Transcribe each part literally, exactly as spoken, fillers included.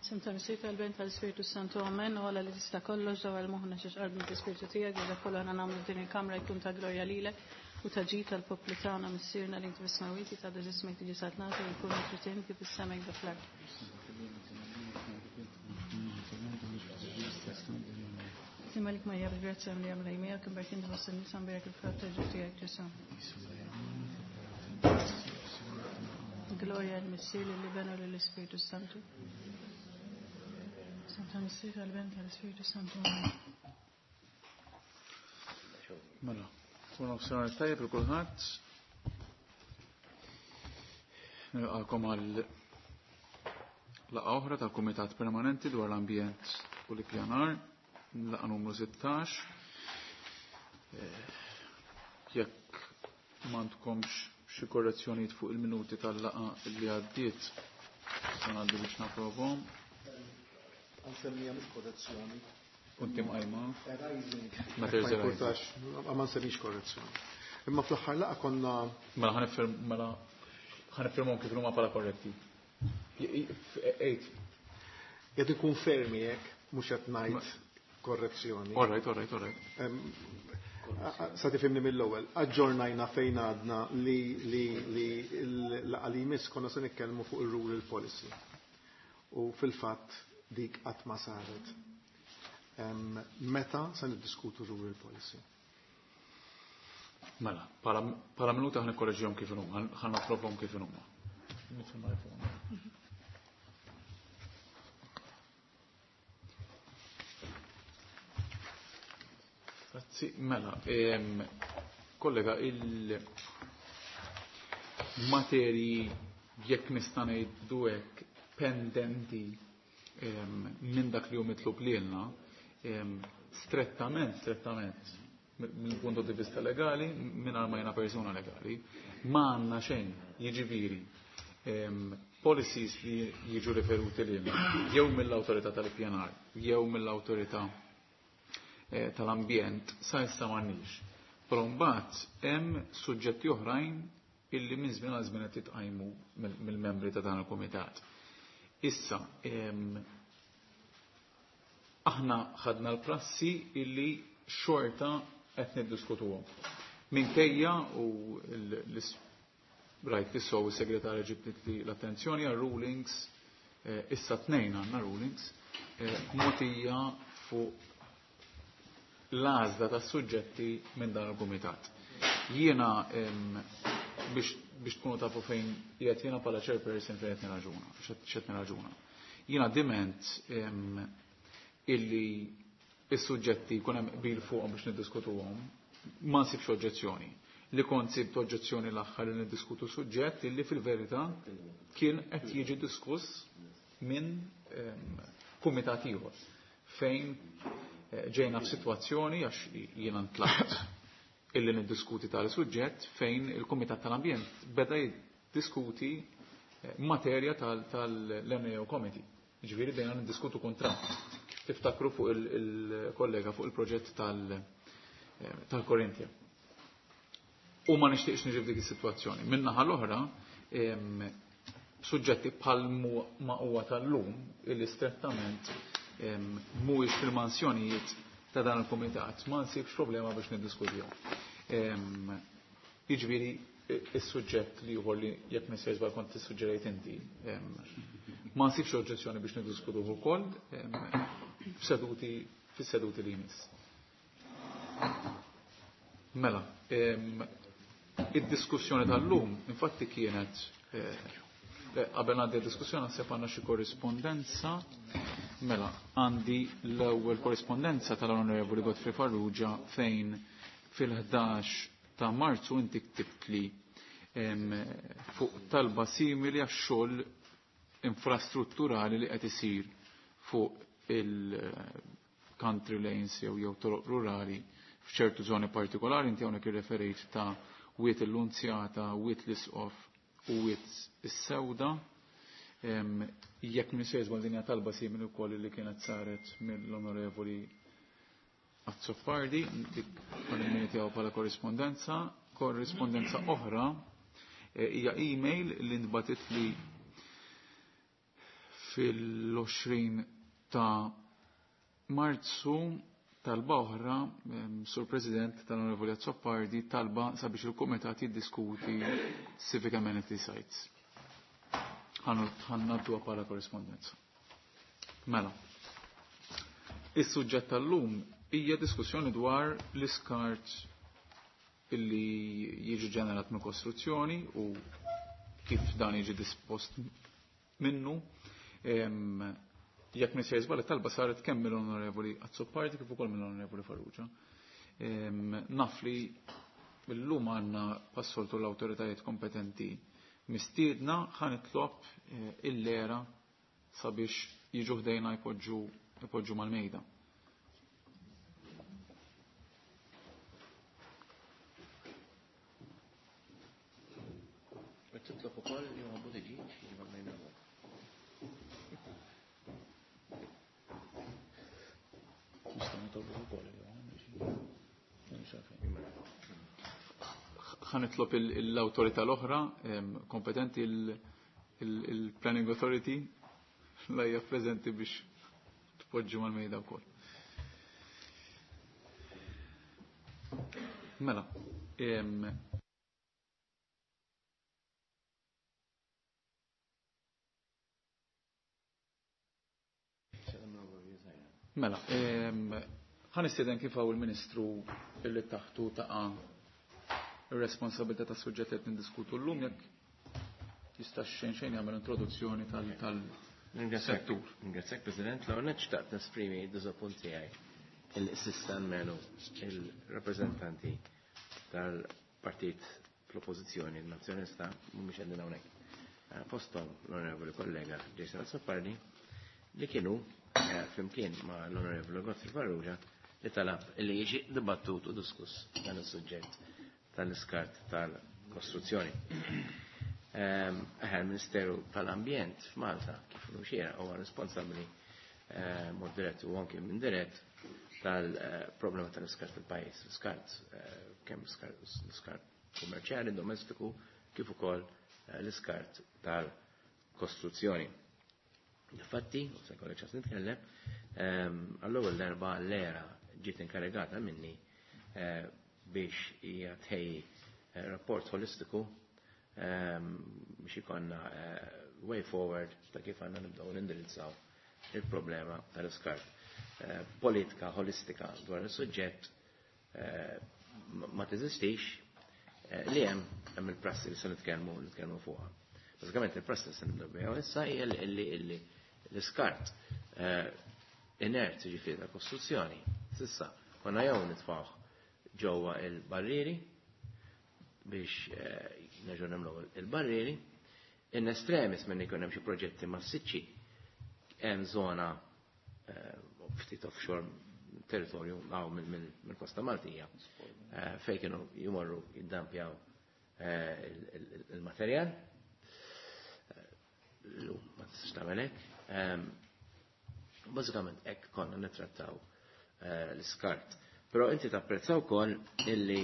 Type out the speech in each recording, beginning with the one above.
Isem tal-Missier tal-Ben tal-Ispirtu Santu Amen u għala li tista' kollox dawar moħħna xi xqarb mill-Ispirtu tiegħek u dak kollu aħna nagħmlu f'din il-kamra jkun ta' glorja lilek u ta' ġid tal-poplu tagħna Missierna li inti fis-smewwiet jitgħadda ismek tiġi saltnatu u jkun trid kif is-sema jibda fl-art. Simalik Marija bil-grazzja li għamla jmija kien barkin tħoss in-nisa mbierek il-frott ta' ġuf tiegħek Ġesù. Gloria l-Missier lill-Iben u lill-Ispirtu Santu. Santa Missier tal-Ben tal-Ispirtu Santu. Mela, kun nofsinhar tajjeb il kulħadd. Nilqakom għal laqgħa oħra tal-Kumitat Permanenti dwar l-Ambjent u l-Ippjanar, laqgħa numru sittax. Jekk m'għandkomx xi korrezzjonijiet fuq il-minuti tal-laqgħa li għaddiet, se ngħaddi biex naprovhom. Għansemmija mhux korrezzjoni. Kunti mqajma. Arising. Matters Ma arising. importax, ma nsemmix korrezzjoni. Imma fl-aħħar laqgħa konna Mela ħanifirm mela ħanifirmhom kif huma bħala korretti. Ejt. Qed ikun fermi hekk mhux qed ngħid korrezzjoni. All right, all right, all right. Sa tifhimni mill-ewwel, aġġornajna fejn għadna li li li l-laqgħa li jmiss konna se nitkellmu fuq ir-rural policy. U fil-fatt dik qatt ma saret. Meta se niddiskutu rural policy? Mela, bħala minuta ħan ikkorreġihom kif inhuma, ħan napprovhom kif inhuma. Grazzi, mela, kollega, il-materji jekk nista' ngħidu hekk pendenti minn dak li hu mitlub lilna, strettament, strettament, mill punto di vista legali, mingħajr ma jiena persuna legali, ma għandna xejn, jiġifieri policies li jiġu riferuti lilna, jew mill-awtorità tal-ippjanar, jew mill-awtorità tal-ambjent, sa issa m'għandniex. Però mbagħad hemm suġġetti oħrajn illi minn żmien għal żmien qed jitqajmu mill-membri ta' dan il-kumitat. Issa, aħna ħadna l-prassi illi xorta qed niddiskutuhom. Minkejja u rajt li sow is-segretarja ġibtet li l-attenzjoni għal rulings, issa tnejn għandna rulings, mogħtija fuq l-għażla tas-suġġetti minn dan il-kumitat. Jiena biex biex tkunu tafu fejn qiegħed jiena bħala chairperson fejn qed nirraġuna, x'qed nirraġuna. Jiena diment illi is-suġġetti jkun hemm qbil fuqhom biex niddiskutuhom, ma nsibx oġġezzjoni. Li kont sibt oġġezzjoni l-aħħar li niddiskutu suġġett illi fil-verità kien qed jiġi diskuss minn kumitat ieħor fejn ġejna f'sitwazzjoni għax jiena ntlaqt illi niddiskuti tali suġġett fejn il-Kumitat tal-Ambjent beda jiddiskuti materja tal-M A O Committee. Ġifieri bdejna niddiskutu kuntratt. Tiftakru fuq il-kollega fuq il-proġett tal-Korinthia. U ma nixtieqx niġi f'dik is-sitwazzjoni. Min-naħa l-oħra, suġġetti bħal ma huwa tal-lum illi strettament mhuwiex fil-mansjonijiet ta' dan il-kumitat, ma nsibx problema biex niddiskutihom. Jiġifieri is-suġġett li ieħor li jekk nisser żball kont tissuġġerejt inti, ma nsibx oġġezzjoni biex niddiskutuh ukoll f'seduti fis-seduti li jmiss. Mela, id-diskussjoni tal-lum infatti kienet qabel għandi d-diskussjoni naħseb għandna xi korrispondenza. Mela, għandi l-ewwel korrispondenza tal-Onorevoli Godfrey Farrugia fejn fil-ħdax ta' Marzu inti ktibtli fuq talba simili għax-xogħol infrastrutturali li qed isir fuq il-country lanes jew jew toroq rurali f'ċertu żoni partikolari. Inti hawnhekk irreferejt ta' Wied il-Lunzjata, Wied l-Isqof u Wied is-Sewda. Jekk minn sejż din hija talba simili wkoll li kienet saret mill-Onorevoli Azzopardi, dik għal tiegħu bħala korrispondenza. Korrispondenza oħra hija email li ntbatet li Fil-għoxrin ta' Marzu talba oħra, Sur President tal-Onorevoli Azzopardi, talba sabiex il-Kumitat jiddiskuti Civic Amenity Sites. Ħannaddu bħala korrespondenza. Mela. Is-suġġett tal-lum hija diskussjoni dwar l-iskart illi jiġi ġenerat minn kostruzzjoni u kif dan jiġi dispost minnu. Jekk minn sejżbal it-talba saret kemm mill-Onorevoli Azzopardi kif ukoll mill-Onorevoli Farrugia. Naf li llum għandna passoltu l-awtoritajiet kompetenti mistiedna, ħa nitlob il-lera sabiex jiġu ħdejna jpoġġu jpoġġu mal-mejda. Titlob ukoll li huwa Buttigieg jiġi mal-mejda. Ħa nitlob l-awtorità l-oħra kompetenti, il-Planning Authority, la hija preżenti biex tpoġġu mal-mejda wkoll. Mela, Mela, ħa nistieden kif hawn il-Ministru illi taħtu taqa' ir-responsabilità tas-suġġett li qed niddiskutu llum, jekk jista' xejn xejn jagħmel introduzzjoni tal-settur. Ringrazzjak, President. L-ewwel nett xtaqt nesprimi d-diżappunt tiegħi il-sista almenu il-rappreżentanti tal-partit fl-oppożizzjoni nazzjonalista mhumiex qegħdin hawnhekk. Fosthom l-Onorevoli kollega Jason Azzopardi li kienu flimkien ma' l-Onorevoli Godfrey Farrugia li talab li jiġi dibattut u diskuss dan is-suġġett tal-iskart tal-kostruzzjoni. Eħe, il-Ministeru tal-Ambjent f'Malta kif xiera huwa responsabbli mod dirett u anke minn dirett tal-problema tal-iskart fil-pajjiż. L-iskart kemm l-iskart kummerċjali, domestiku, kif ukoll l-iskart tal-kostruzzjoni. Infatti, u se jkollek ċans nitkellem, għall-ewwel darba l-era ġiet inkarigata minni biex hija tħejji rapport holistiku biex ikonna way forward ta' kif għandna nibdew nindirizzaw il-problema tal-iskart. Politika holistika dwar is-suġġett ma teżistix, li hemm hemm il-prassi li se nitkellmu nitkellmu fuqha. Bażikament il-prassi li se nibdew biha issa hija li l-iskart inert, ġifieri tal-kostruzzjoni, s'issa konna jew nitfgħuh ġewwa il-barrieri biex nerġgħu nagħmlu il-barrieri, in extremis minn ikun hemm xi proġetti massiċċi hemm żona ftit offshore territorju għaw mill-Kosta Maltija fejn kienu jmorru jiddampjaw il-materjal. Llum ma tistax tagħmel hekk. Bażikament hekk konna nittrattaw l-iskart. Però inti tapprezza wkoll illi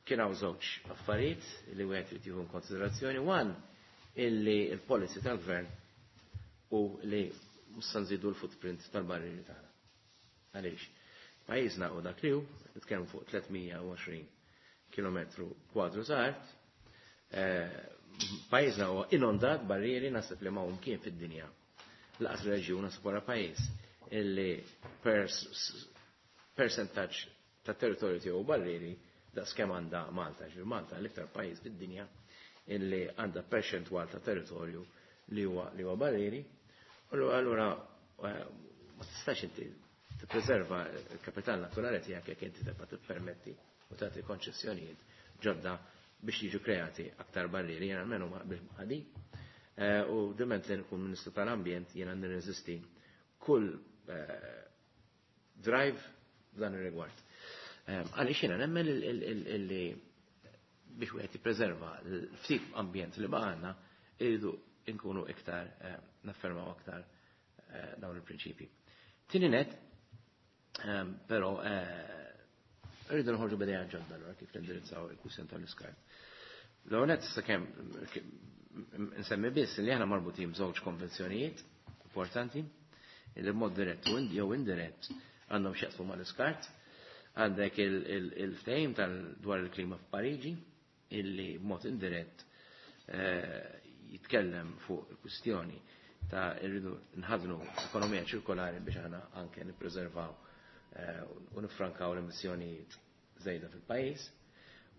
kien hawn żewġ affarijiet li wieħed irid jieħu konsiderazzjoni. One, illi l-policy tal-gvern u li mhux se nżidu l-footprint tal-barrieri tagħna. Għaliex? Pajjiżna u dak li hu, nitkellmu fuq tliet mija u għoxrin kilometru kwadru ta' art, pajjiżna huwa inondat barrieri naħseb li ma hum kien fid-dinja. Laqas reġjun naħseb wara pajjiż illi percentaġġ ta' territorju tiegħu barrieri daqs kemm għandha Malta. Ġifieri Malta l-iktar pajjiż fid-dinja illi għandha perċentwal ta' territorju li huwa li huwa barrieri. Allura ma tistax inti tippreserva l-kapital naturali tiegħek jekk inti tibqa' tippermetti u tagħti konċessjonijiet ġodda biex jiġu kreati aktar barrieri. Jiena almenu ma qbilx ma' ħadi. U diment li nkun Ministru tal-Ambjent jiena nirreżisti kull drive f'dan ir-rigward. Għaliex jiena nemmen illi biex wieħed jippreserva l-ftit ambjent li baqgħna irridu nkunu iktar naffermaw aktar dawn il-prinċipji. Tieni net, però rridu noħorġu b'idea ġodda allura kif nindirizzaw il-kwistjoni tal-iskart. L-għonet sakemm nsemmi biss li aħna marbutin b'żewġ konvenzjonijiet importanti li b'mod dirett u jew indirett għandhom x'jaqsmu mal-iskart. Għandek il-ftehim tal dwar il-klima f'Pariġi illi b'mod indirett jitkellem fuq il-kwistjoni ta' irridu nħadnu ekonomija ċirkolari biex aħna anke nippreservaw u nifrankaw l-emissjonijiet żejda fil-pajjiż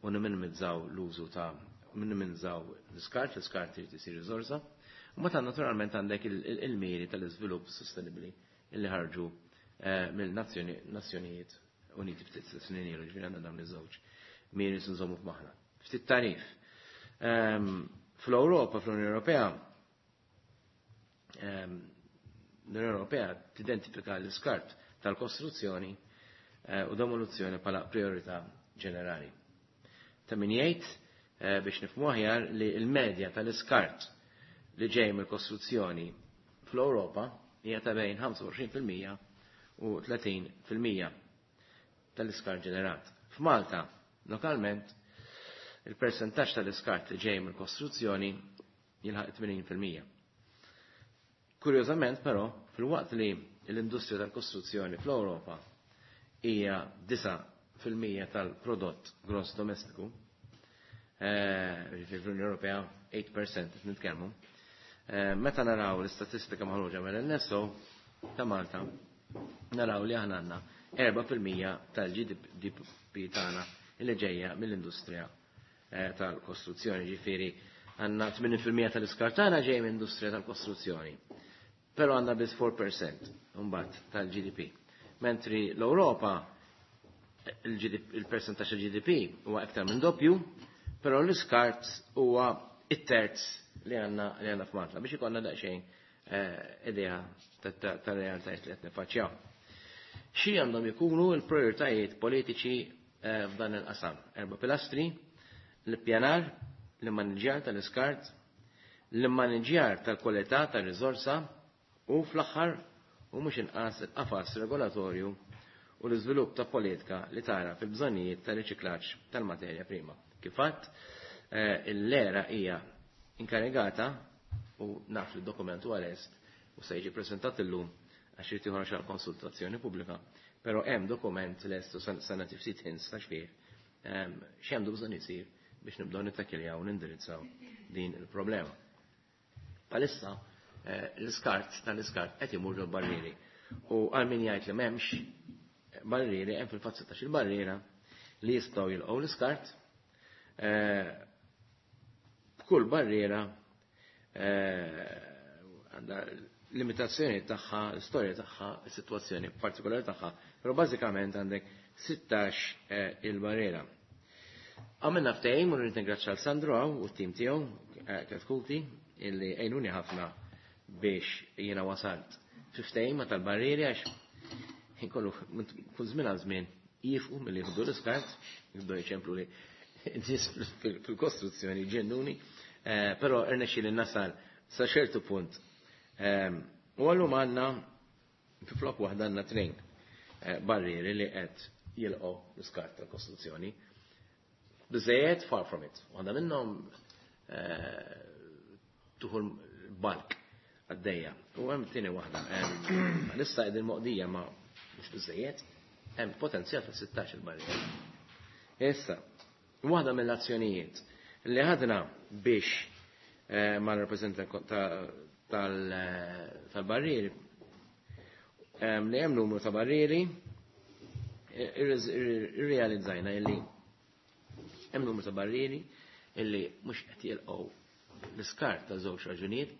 u niminimizzaw l-użu ta' minimizzaw l-iskart, l-iskart irid isir riżorsa. U meta naturalment għandek il-miri tal-iżvilupp sostenibbli illi ħarġu mill-Nazzjonijiet Uniti ftit snin ilu, ġifieri għandna dawn iż-żewġ miri nżommu f'moħħna. Ftit tarif. Fl-Ewropa, fl-Unjoni Ewropea, l-Unjoni Ewropea tidentifika l-iskart tal-kostruzzjoni u demolizzjoni bħala priorità ġenerali. Ta' min jgħid biex nifhmu aħjar li l-medja tal-iskart li ġej mill-kostruzzjoni fl-Ewropa hija ta' bejn ħamsa u għoxrin fil-mija u tletin fil-mija tal-iskart ġenerat. F'Malta, lokalment, il-persentaġġ tal-iskart li ġej mill-kostruzzjoni jilħaq tmenin fil-mija. Kurjożament, però, fil-waqt li l-industrija tal-kostruzzjoni fl-Ewropa hija disa' fil-mija tal-prodott gross domestiku, ġifieri fl-Unjoni Ewropea eight percent qed nitkellmu. Meta naraw l-istatistika maħruġa mill-N S O ta' Malta, naraw li aħna għandna erba' fil-mija tal-G D P tagħna li ġejja mill-industrija tal-kostruzzjoni, ġifieri għandna tmien fil-mija tal-iskart tagħna ġej mill-industrija tal-kostruzzjoni. Però għandna biss four percent imbagħad tal-G D P. Mentri l-Ewropa il-percentaġġ tal-G D P huwa iktar minn doppju, però l-iskart huwa it-terz li għandna li għandna f'Malta biex ikollna daqsxejn idea tar-realtajiet li qed nifaċċjaw. Xi għandhom ikunu l-prioritajiet politiċi f'dan il-qasam? Erba' pilastri: l-ippjanar, l-immaniġjar tal-iskart, l-immaniġjar tal-kwalità tar-riżorsa u fl-aħħar u mhux inqas il-qafas regolatorju u l-iżvilupp ta' politika li tara fil-bżonnijiet tal-riċiklaġġ tal-materja prima. Kif għadt, l-era hija inkarigata u naf li d-dokument huwa lest u se jiġi preżentat illum għax irid joħroġ għal konsultazzjoni pubblika, però hemm dokument lest u se nagħti ftit hints ta' xfih x'għandu bżonn isir biex nibdew nittakiljaw u nindirizzaw din il-problema. Palissa l-iskart tal-iskart qed imur ġol-barrieri u għal min jgħid li m'hemmx barrieri, hemm fil-fatt sittax il-barriera li jistgħu jilqgħu l-iskart. B'kull barriera għandha limitazzjoni tagħha, l-istorja tagħha, is-sitwazzjoni partikolari tagħha, però bażikament għandek sittax il-barriera. Għamilna ftehim u rrid ningrazzja l Sandro hawn u t-tim tiegħu Chetcuti illi għejnuni ħafna biex jiena wasalt fi ftehim ma' tal-barrieri għax inkollu kull żmien għal żmien jifqu milli jieħdu l-iskart, jibdew jċemplu li nies fil-kostruzzjoni ġennuni, però irnexxieli nasal sa ċertu punt. U għallum għandna fi flok waħda għandna tnejn barrieri li qed jilqgħu l-iskart tal-kostruzzjoni. Biżejjed far from it. Waħda minnhom tuħu l-balk għaddejja. U hemm tieni waħda. Issa qegħdin moqdija ma mhux biżejjed, hemm potenzjal ta' sittax il-barriera. Issa, waħda mill-azzjonijiet li ħadna biex ma' rappresentant tal-barrieri, li hemm numru ta' barrieri, irrealizzajna illi hemm numru ta' barrieri illi mhux qed jilqgħu l-iskart ta' żewġ raġunijiet,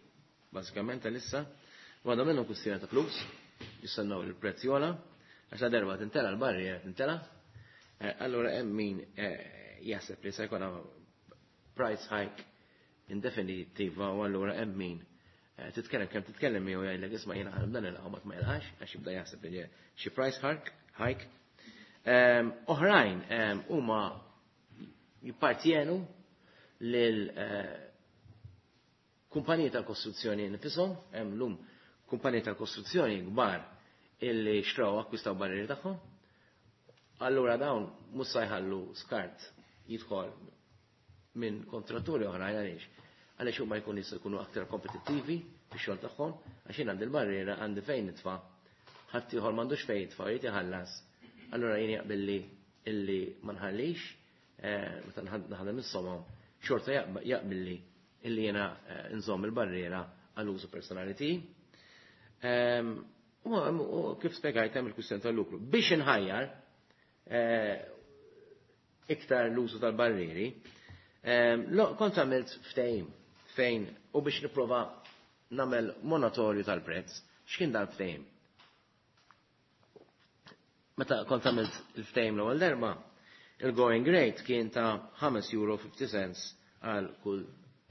bażikament għalissa, waħda minnhom kwistjoni ta' flus, jistennew il-prezz jogħla, għax la darba tintela l-barriera tintela, allura hemm min jaħseb li se jkun price hike indefinitiva u allura hemm min titkellem kemm titkellem miegħu jgħidlek isma' jiena ħanibda nilqgħu ma jilqax għax jibda jaħseb li xi price hike. Hike. Oħrajn huma jippartjenu lil kumpaniji tal-kostruzzjoni nifishom, hemm lum kumpaniji tal-kostruzzjoni kbar illi xtraw akkwistaw barrieri tagħhom. Allura dawn mhux se jħallu skart jidħol minn kontratturi oħrajn. Għaliex? Għaliex huma jkun jistgħu jkunu aktar kompetittivi fix-xogħol tagħhom, għax jien għandi l-barriera, għandi fejn nitfa', ħadd ieħor m'għandux fejn jitfa', jrid iħallas. Allura jien jaqbilli illi ma nħallix, meta naħdem is-somom, xorta jaqbilli illi jiena nżomm il-barriera għall-użu personali tiegħi. U kif spjegajt hemm il-kwistjoni tal-lukru. Biex inħajjar iktar l-użu tal-barrieri, kont għamilt ftehim fejn u biex nipprova nagħmel moratorju tal-prezz. X'kien dan ftehim? Meta kont għamilt il-ftehim l-ewwel darba, il-going rate kien ta' ħames euro fifty cents għal kull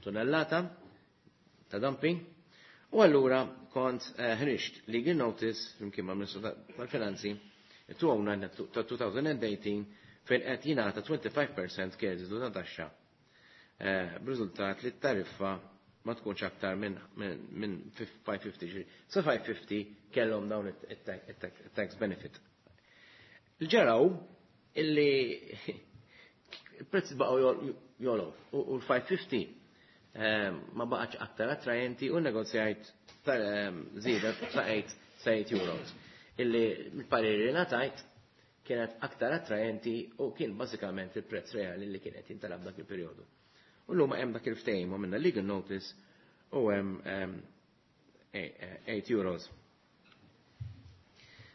tonnellata ta' dumping. U allura kont ħriġt legal notice flimkien ma' Ministru tal-Finanzi two oh nine ta' twenty eighteen fejn qed jingħata twenty-five percent kreditu ta' taxxa, b'riżultat li t-tariffa ma tkunx aktar minn five fifty. Sa five fifty kellhom dawn it-tax benefit. Il-ġaraw illi il-prezz baqgħu jogħlew u l-five fifty ma baqgħax aktar attrajenti u negozjajt żieda sa eight euros. Illi il-pariri ngħatajt kienet aktar attrajenti u kien bażikament il-prezz reali li kienet jintalab dak il-perjodu. U l-lum hemm dak il-ftehim u minna legal notice u hemm eight euros.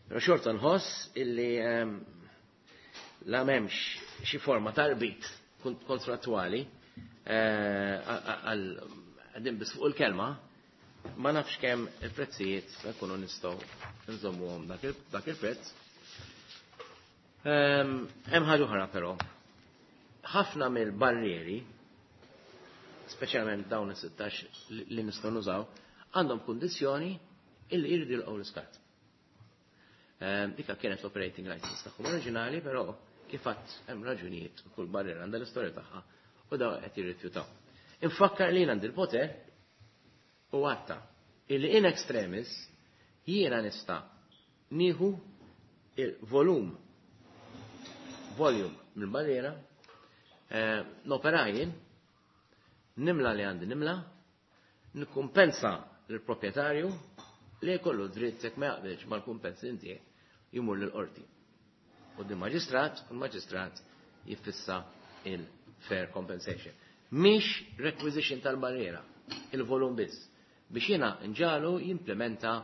Pero xorta nħoss illi la m'hemmx xi forma ta' rbit kontrattwali għal għadim bis fuq il-kelma, ma nafx kemm il-prezzijiet se nkunu nistgħu nżommuhom dak il-prezz. Hemm ħaġa oħra però. Ħafna mill-barrieri, speċjalment dawn is-sittax li nistgħu nużaw, għandhom kundizzjoni illi jridu jilqgħu l-iskart. Dika kienet l-operating license tagħhom oriġinali, però kif għedt hemm raġunijiet, kull barriera għandha l-istorja tagħha u daw qed jirrifjutaw. Infakkar li għandi l-poter u għatta illi in extremis jiena nista' nieħu il-volum volume mill-barriera, nopera jien, nimla li għandi nimla, nikkumpensa l-proprjetarju li jkollu dritt, jekk ma jaqbilx mal-kumpens inti, jmur l-qorti. U di maġistrat, u l-maġistrat jiffissa il-fair compensation. Mhix requisition tal-barriera, il-volum biss, biex jiena nġagħlu jimplementa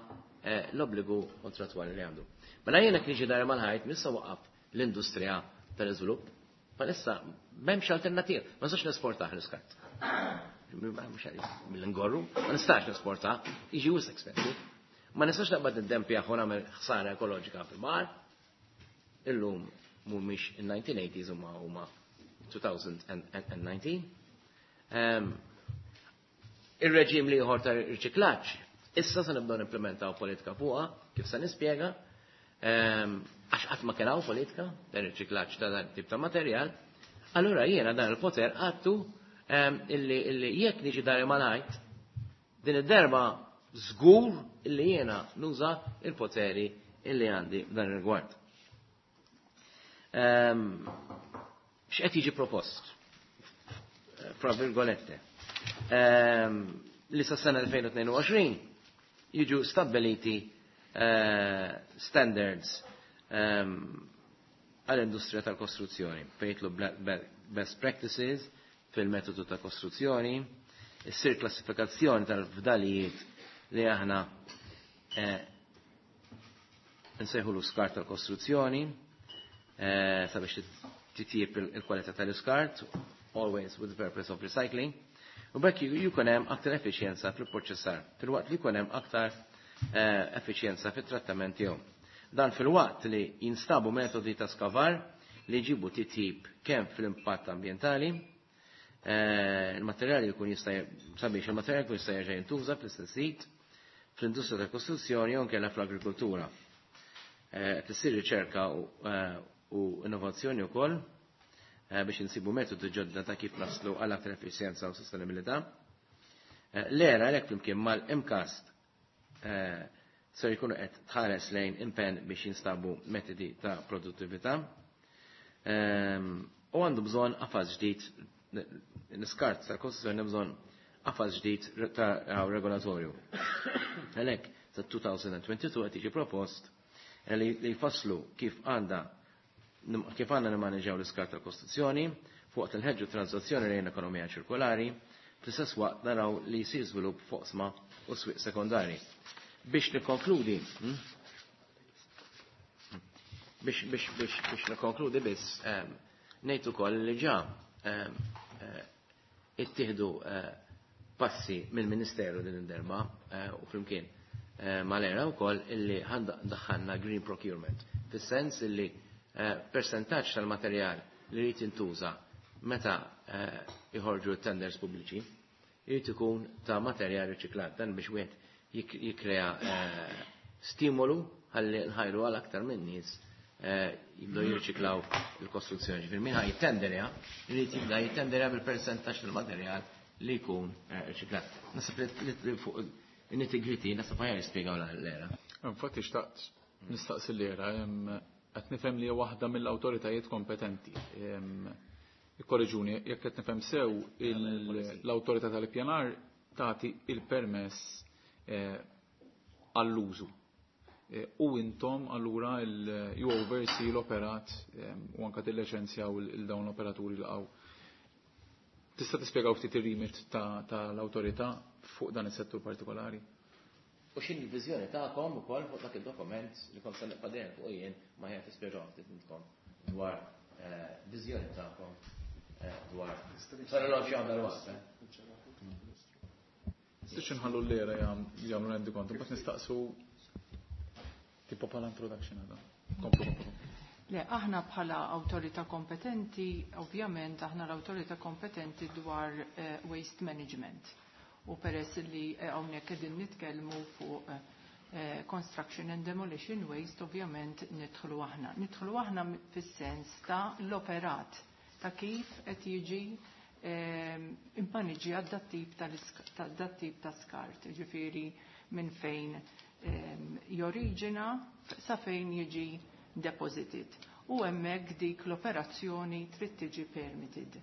l-obbligu kontratwali li għandu. Mela jiena kien dar mal-ħajt missa waqaf l-industrija tal-iżvilupp, palissa m'hemmx alternativa, ma nistax nesportaħ l-iskart. Mill-ingorru, ma nistax nesportaħ, jiġi wisq expensive. Ma nistax naqbad id-dempi u nagħmel ħsara ekoloġika fil-mar. Illum mhumiex in-nineteen eighties, huma huma twenty nineteen. Il-reġim li ieħor ta' riċiklaġġ, issa se nibdew nimplementaw politika fuqha, kif se nispjega, għax qatt ma kien politika ta' riċiklaġġ ta' dan tip ta' materjal. Allura jiena dan il-poter għattu illi jekk niġi dari malajt, din id-darba żgur illi jiena nuża il-poteri illi għandi dan ir-rigward. X'qed jiġi propost? Fra virgolette. Li sa sena twenty twenty-two jiġu stabiliti standards għall-industrija tal-kostruzzjoni, fejn jitlu best practices fil-metodu ta' kostruzzjoni, issir klassifikazzjoni tal-fdalijiet li aħna nsejħu l-iskart tal-kostruzzjoni, sabiex titjib il-kwalità tal-iskart, always with the purpose of recycling, u b'hekk jkun hemm aktar effiċjenza fil-proċessar, filwaqt li jkun hemm aktar effiċjenza fit-trattament tiegħu. Dan filwaqt li jinstabu metodi ta' skavar li jġibu titjib kemm fl-impatt ambjentali, il-materjali jkun jista' sabiex il-materjali jkun jista' jerġa' jintuża fl-istess sit, fl-industrija tal-kostruzzjoni jew inkella fl-agrikoltura. Tissir riċerka u innovazzjoni wkoll biex insibu metodi ġodda ta' kif naslu għal aktar effiċjenza u sostenibilità. L-era għalhekk flimkien mal-M CAST ser jkunu qed tħares lejn impenn biex jinstabu metodi ta' produttività. U għandu bżonn qafas ġdid l-iskart tal-kostruzzjoni bżonn qafas ġdid ta' regolatorju. Għalhekk sa elfejn u tnejn u għoxrin qed jiġi propost li jfasslu kif għandha kif għandna nimmaneġġjaw l-iskart tal-kostruzzjoni fuq tinħeġġu tranżazzjoni lejn ekonomija ċirkolari, fl-istess waqt naraw li jsir żvilupp f'oqsma u swieq sekondari. Biex nikkonkludi, hm? biex biex biex biex nikkonkludi biss, ngħid ukoll li ġa eh, ittieħdu eh, passi mill-Ministeru din id-darba eh, u flimkien mal-ERA wkoll illi daħħalna green procurement, fis-sens illi persentaġġ tal-materjal li jrid jintuża meta jħorġu tenders pubbliċi jrid ikun ta' materjal riċiklat, dan biex wieħed jikkrea stimolu ħalli nħajru għal aktar minn nies jibdew jirriċiklaw il-kostruzzjoni. Ġifieri min ħa jittenderja, jrid jibda jittenderja bil-persentaġġ tal-materjal li jkun riċiklat. Naħseb li fuq in-nitty-gritty naħseb aħjar jispjegaw l-ERA. Infatti xtaqt nistaqsi l-ERA, qed nifhem li waħda mill-awtoritajiet kompetenti. Ikkorreġuni, jekk qed nifhem sew, l-awtorità tal-ippjanar tagħti il-permess għall-użu. U intom allura you oversee l-operat u anka tilliċenzjaw il-dawn l-operaturi l għaw. Tista' tispjegaw ftit ir-remit tal-awtorità fuq dan is-settur partikolari? U x'inhi l-viżjoni tagħkom ukoll fuq dak id-dokument li kont se nibqa' dejjem fuq jien ma ħejja tispjegaw ftit intkom dwar viżjoni tagħkom dwar. Sar l-għoxi għandha l-waqt. Nistgħux inħallu l-ERA jagħmlu rendikont, imbagħad nistaqsu tipo bħala introduction għada. Komplu, komplu. Le, aħna bħala awtorità kompetenti, ovvjament aħna l-awtorità kompetenti dwar uh, waste management. U peress li hawnhekk qegħdin nitkellmu fuq uh, construction and demolition waste, ovvjament nidħlu aħna. Nidħlu aħna fis-sens ta' l-operat, ta' kif qed jiġi immaniġġjat dat-tip dat-tip ta' skart, ġifieri minn fejn joriġina sa fejn jiġi deposited. U hemmhekk dik l-operazzjoni trid tiġi permitted.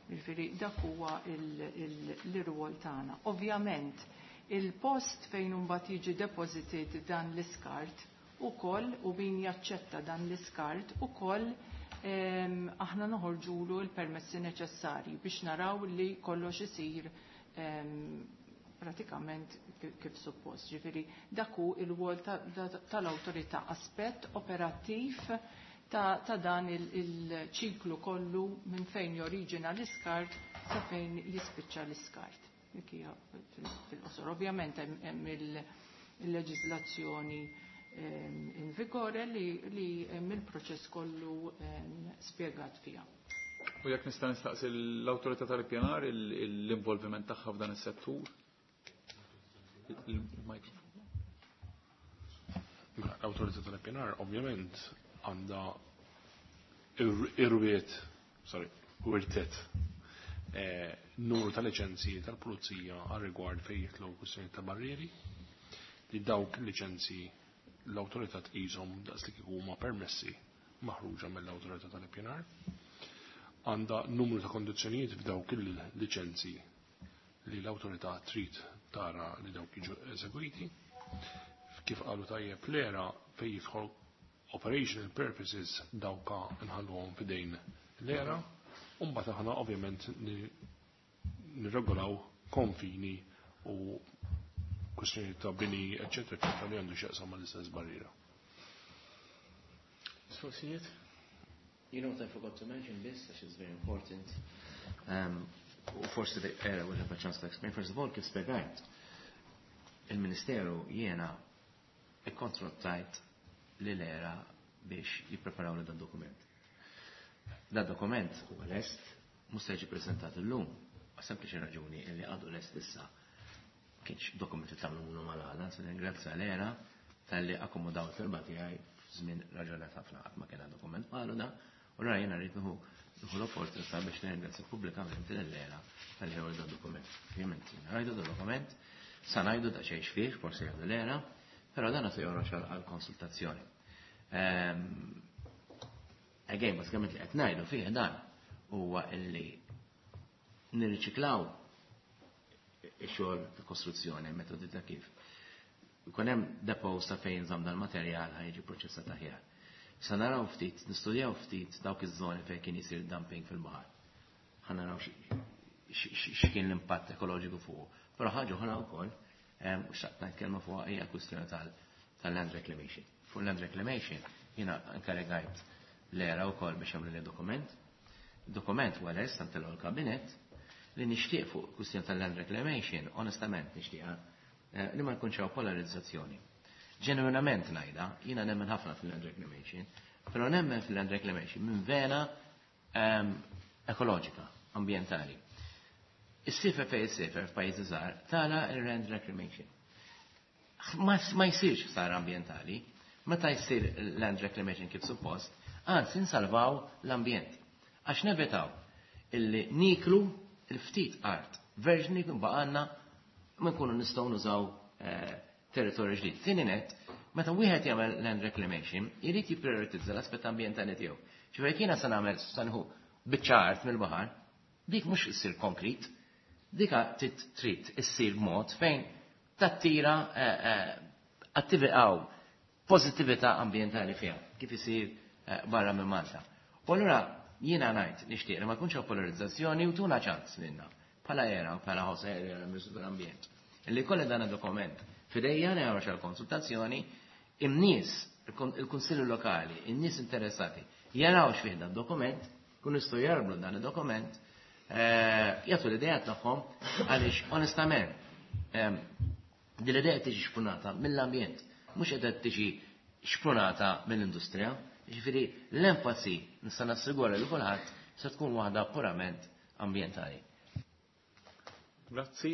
Ġifieri dak huwa l-irwol tagħna. Ovvjament, il-post fejn imbagħad jiġi deposited dan l-iskart ukoll u min jaċċetta dan l-iskart ukoll aħna noħorġulu l-permessi neċessarji biex naraw li kollox isir pratikament kif suppost. Ġifieri dak hu il-wol tal-awtorità, aspett operattiv ta', ta dan il-ċiklu kollu minn fejn joriġina l-iskart sa fejn jispiċċa l-iskart. Dik hija fil-qosor. Ovvjament hemm il-leġiżlazzjoni in vigore li, li hemm il-proċess kollu spjegat fiha. U jekk nista' nistaqsi l-awtorità tal-ippjanar l-involviment tagħha f'dan is-settur? Il-mikrofon. L-awtorità tal-ippjanar ovvjament għandha irwiet, sorry, wirtet numru ta' liċenzji tal-pulizija għal rigward fejn jitlu kwistjoni ta' barrieri li dawk liċenzji l-awtorità tqishom daqs li kieku huma permessi maħruġa mill-awtorità tal-ippjanar. Għandha numru ta' kondizzjonijiet f'dawk il-liċenzji li l-awtorità trid tara li dawk jiġu eżegwiti. Kif qalu tajjeb l-ERA fejn jidħol operational purposes dawka nħalluhom f'idejn l-ERA, u mbagħad aħna ovvjament nirregolaw konfini u kwestjoni ta' bini, eccetera, eccetera, li għandu x'jaqsam mal-istess barriera. Mistoqsijiet? You know what I forgot to mention this, which is very important. Um, u forsi the ERA will have a chance to explain. First of all, kif spjegajt, il-Ministeru jiena ikkontrattajt li l-ERA biex jippreparaw li dan dokument. Dan dokument huwa lest, mhux se jiġi preżentat illum, għal sempliċi raġuni li għadu lest issa. Kienx dokumenti tagħmlu minnu mal-għada, se ningrazzja l-ERA talli akkomodaw it-talba tiegħi f'żmien raġonat ħafna qatt ma kien dokument bħalu da, u ra jiena rrid nieħu nieħu l-opportunità biex nirringrazzja pubblikament lill-ERA talli ħew dan dokument. Ovvjament rajdu dan dokument, sa ngħidu da xejn fih, forsi jgħidu l-ERA, però dan se joħroġ għal konsultazzjoni. Again, bażikament li qed ngħidu fih dan huwa illi nirriċiklaw ix-xogħol ta' kostruzzjoni, metodi ta' kif. Ikun hemm depots ta' fejn żamm dal-materjal ħa jiġi proċessat aħjar. Sa naraw ftit, nistudjaw ftit dawk iż-żoni fejn kien isir dumping fil-baħar. Ħa naraw x'kien l-impatt ekoloġiku fuq. Però ħaġa oħra wkoll, u xtaqt ngħid kelma fuq hija kwistjoni tal-land reclamation. Fuq land reclamation jiena inkarigajt l-ERA wkoll biex jagħmlu li dokument. Dokument huwa lest ntilgħu l-kabinett li nixtieq fuq kwistjoni tal-land reclamation, onestament nixtieqha li ma jkunx hawn polarizzazzjoni. Ġenwinament ngħidha, jiena nemmen ħafna fil-land reclamation, però nemmen fil-land reclamation minn vena ekoloġika, ambjentali. Is-sifer fejn is-sifer f'pajjiżi żgħar tara il-land reclamation. Ma jsirx ħsara ambjentali, meta jsir land reclamation kif suppost, anzi nsalvaw l-ambjent. Għax nevitaw illi niklu il-ftit art verġni jkun baqgħalna ma nkunu nistgħu nużaw territorju ġdid. Tieni net, meta wieħed jagħmel land reclamation, irid jipprioritizza l-aspett ambjentali tiegħu. Ġifieri jiena se nagħmel se nieħu biċċa art mill-baħar, dik mhux issir konkrit, dika trid issir mod fejn tattira attività pożittività ambjentali fiha, kif isir barra minn Malta. U allura jiena ngħid nixtieq li ma jkunx hawn polarizzazzjoni u tuna ċans lilna bħala ERA u bħala Jose Herrera Ministru tal-Ambjent. Illi kolli dan id-dokument fidejja nagħmel xi konsultazzjoni, in-nies, il-Kunsilli Lokali, in-nies interessati jaraw x'fih dan dokument, kun jistgħu jarblu dan id-dokument, jagħtu l-idea tagħhom għaliex onestament din l-idea tiġi xprunata mill-ambjent, mhux qed tiġi xprunata mill-industrija. Ġifieri l-enfasi nista' nassigura li kulħadd se tkun waħda purament ambjentali. Grazzi,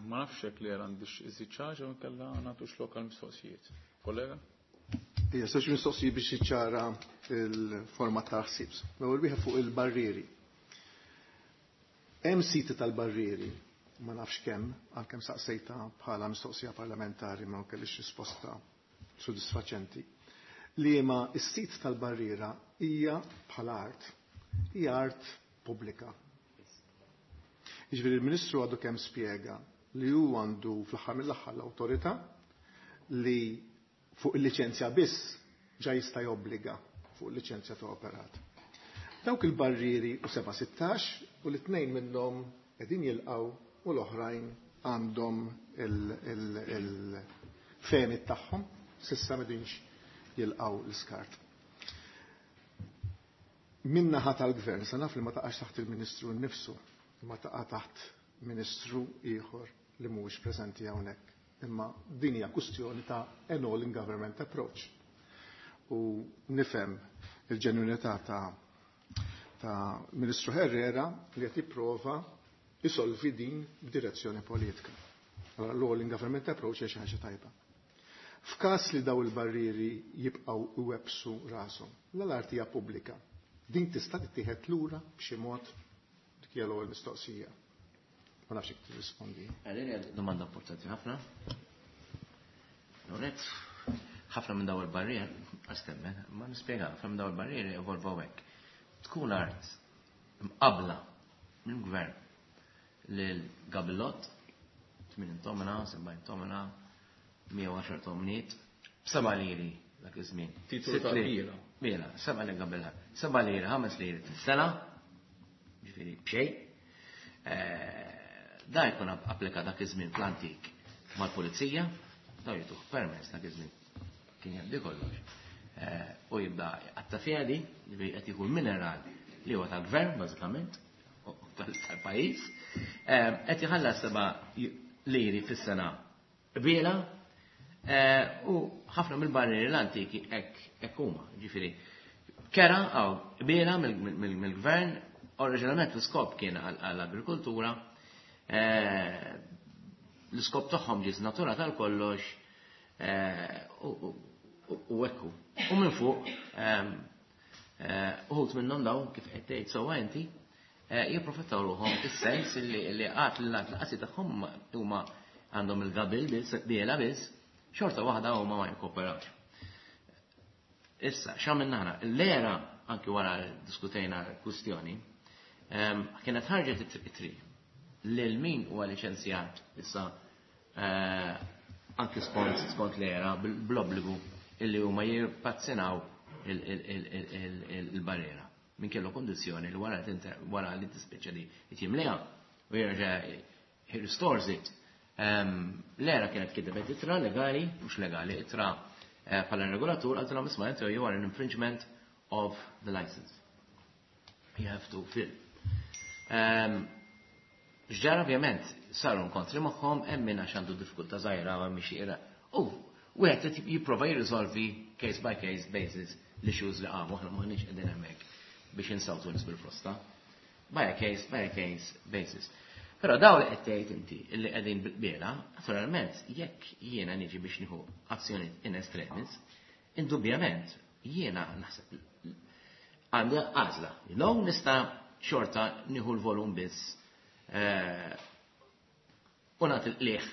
ma nafx hekk li għandix iżid xi ħaġa u nkella nagħtux lokal mistoqsijiet. Kollega? Ija, żewġ mistoqsijiet biex jiċċara il-forma ta' ħsieb. L-ewwel wieħed fuq il-barrieri. Hemm siti tal-barrieri, ma nafx kemm, għalkemm saqsejta bħala mistoqsija parlamentari ma kellix risposta sodisfaċenti. Li ma s-sit tal-barriera hija bħala art, hija art pubblika. Jiġifieri il-Ministru għadu kemm spjega li hu għandu fl-aħħar mill-aħħar l-awtorità li fuq il-liċenzja biss ġa jista' jobbliga fuq il-liċenzja ta' operat. Dawk il-barrieri u seba' sittax u l-tnejn minnhom qegħdin jilqgħu u l-oħrajn għandhom il-fehmiet tagħhom s'issa m'qegħdinx jilqgħu l-iskart. Min-naħa tal-gvern, sa naf li ma taqax taħt il-Ministru nnifsu, ma taqa' taħt Ministru ieħor li mhuwiex preżenti hawnhekk. Imma din hija kwistjoni ta' an all in government approach. U nifhem il-ġenwinità ta' ta' Ministru Herrera li qed jipprova jisolvi din b'direzzjoni politika. Allora l-all in government approach hija xi ħaġa tajba. F'każ li daw il-barrieri jibqgħu iwebsu rashom, l-art hija pubblika. Din tista' tittieħed lura b'xi mod dik hija l-ewwel mistoqsija. Ma nafx jekk tirrispondi. Għalin hija domanda importanti ħafna. Lorenz, ħafna minn daw il-barrier, għastemmen, ma nispjega, ħafna minn daw il-barrieri evolvaw hekk. Tkun art mqabla mill-gvern lil Gabillot, tmien tomna, sebgħin tomna, mija u għaxar tomniet, b'seba' liri dak iż-żmien. Titolu ta' Sitt liri. Biela. Biela, seba' liri Gabillot. Seba' liri, ħames liri fis-sena, ġifieri b'xejn. Da jkun applika dak iż-żmien fl-antik mal-pulizija, da jituh permess dak iż-żmien kien jgħaddi kollox. U jibda għatta fjadi, li qed jieħu l-mineral li huwa tal-gvern bażikament, u tal-pajjiż, qed jħallas seba' liri fis-sena biela, u ħafna mill-barrieri l-antiki hekk huma, ġifieri kera għaw biela mill-gvern, oriġinalment l-iskop kien għall-agrikoltura, l-iskop tagħhom ġie żnaturat tal-kollox, u ekku. U minn fuq, uħut minnhom daw kif qed tgħid sewwa inti, jipprofittaw ruħhom fis-sens li qatt li l-qasi tagħhom huma għandhom il-gabil biss, biela biss, xorta waħda huma ma jkooperawx. Issa, x'għamilna aħna? L-ERA, anki wara diskutejna l-kwistjoni, Kienet ħarġet it-tri lil min huwa liċenzjat issa anki skont skont l-era bl-obbligu illi huma jirpazzinaw il-barriera. Min kellu kondizzjoni li wara wara li tispiċċa li jimliha u jerġa' he restores it. L-era kienet kitbet ittra legali, mhux legali, ittra bħala regolatur għaltilhom isma' inti you are an infringement of the license. You have to fill. X'ġara ovvjament saru nkontri magħhom hemm min għax għandu diffikultà żgħira ma mhix ira. U wieħed qed jipprova jirriżolvi case by case basis l-issues li qamu aħna m'aħniex qegħdin hemmhekk biex insawtu nies bil-frosta. By a case by a case basis. Però daw li qed tgħid inti illi qegħdin bil-qbiela, naturalment jekk jiena niġi biex nieħu azzjoni in extremis, indubjament jiena naħseb għandi għażla. Jew nista' xorta nieħu l-volum biss u nagħti l-qliħ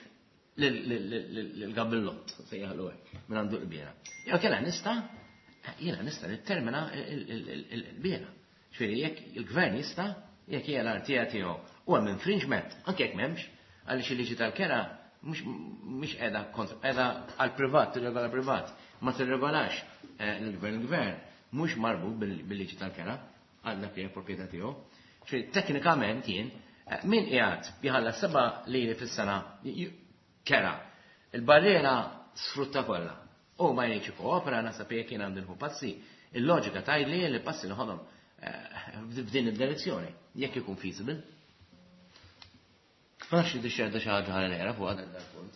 l-gabillott, sejjaħlu hekk, minn għandu l-qbiela. Jew kellha nista' jiena nista' nittermina l-qbiela. Ġifieri jekk il-gvern jista' jekk hija l-artija tiegħu u hemm infringement, anke jekk m'hemmx, għaliex il-liġi tal-kera mhux qiegħda kontra qiegħda għall-privat, tirregola privat, ma tirregolax l-gvern. Il-gvern mhux marbut bil-liġi tal-kera għal dak li hija proprjetà tiegħu. Ġifieri teknikament jien min qiegħed jħallas seba' liri fis-sena kera. Il-barriera sfrutta kollha. U ma jgħidx ikkoopera naħseb jekk jien għandi nħu passi. Il-loġika tgħidli li passi noħodhom f'din id-direzzjoni, jekk ikun feasible. Ma nafx li xerda xi ħaġa ħalli nera fuq għadha dal-punt.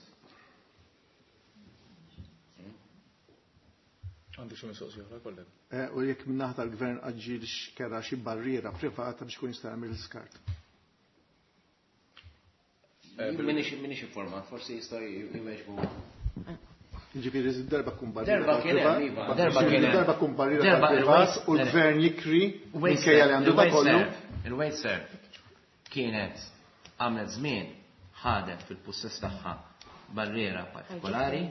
Għandi xi mistoqsija oħra, kollega. U jekk min-naħa tal-gvern aġġilx kera xi barriera privata biex kun jista' jagħmel l-iskart. Minix informat, forsi jista' jweġbu. Ġifieri darba kun barriera. Darba kien hemm, iva, darba kien hemm. Darba kun barriera tal-privat u l-gvern jikri minkejja li għandu da kollu. Il-Wasteserv kienet għamlet żmien ħadet fil-pussess tagħha barriera partikolari.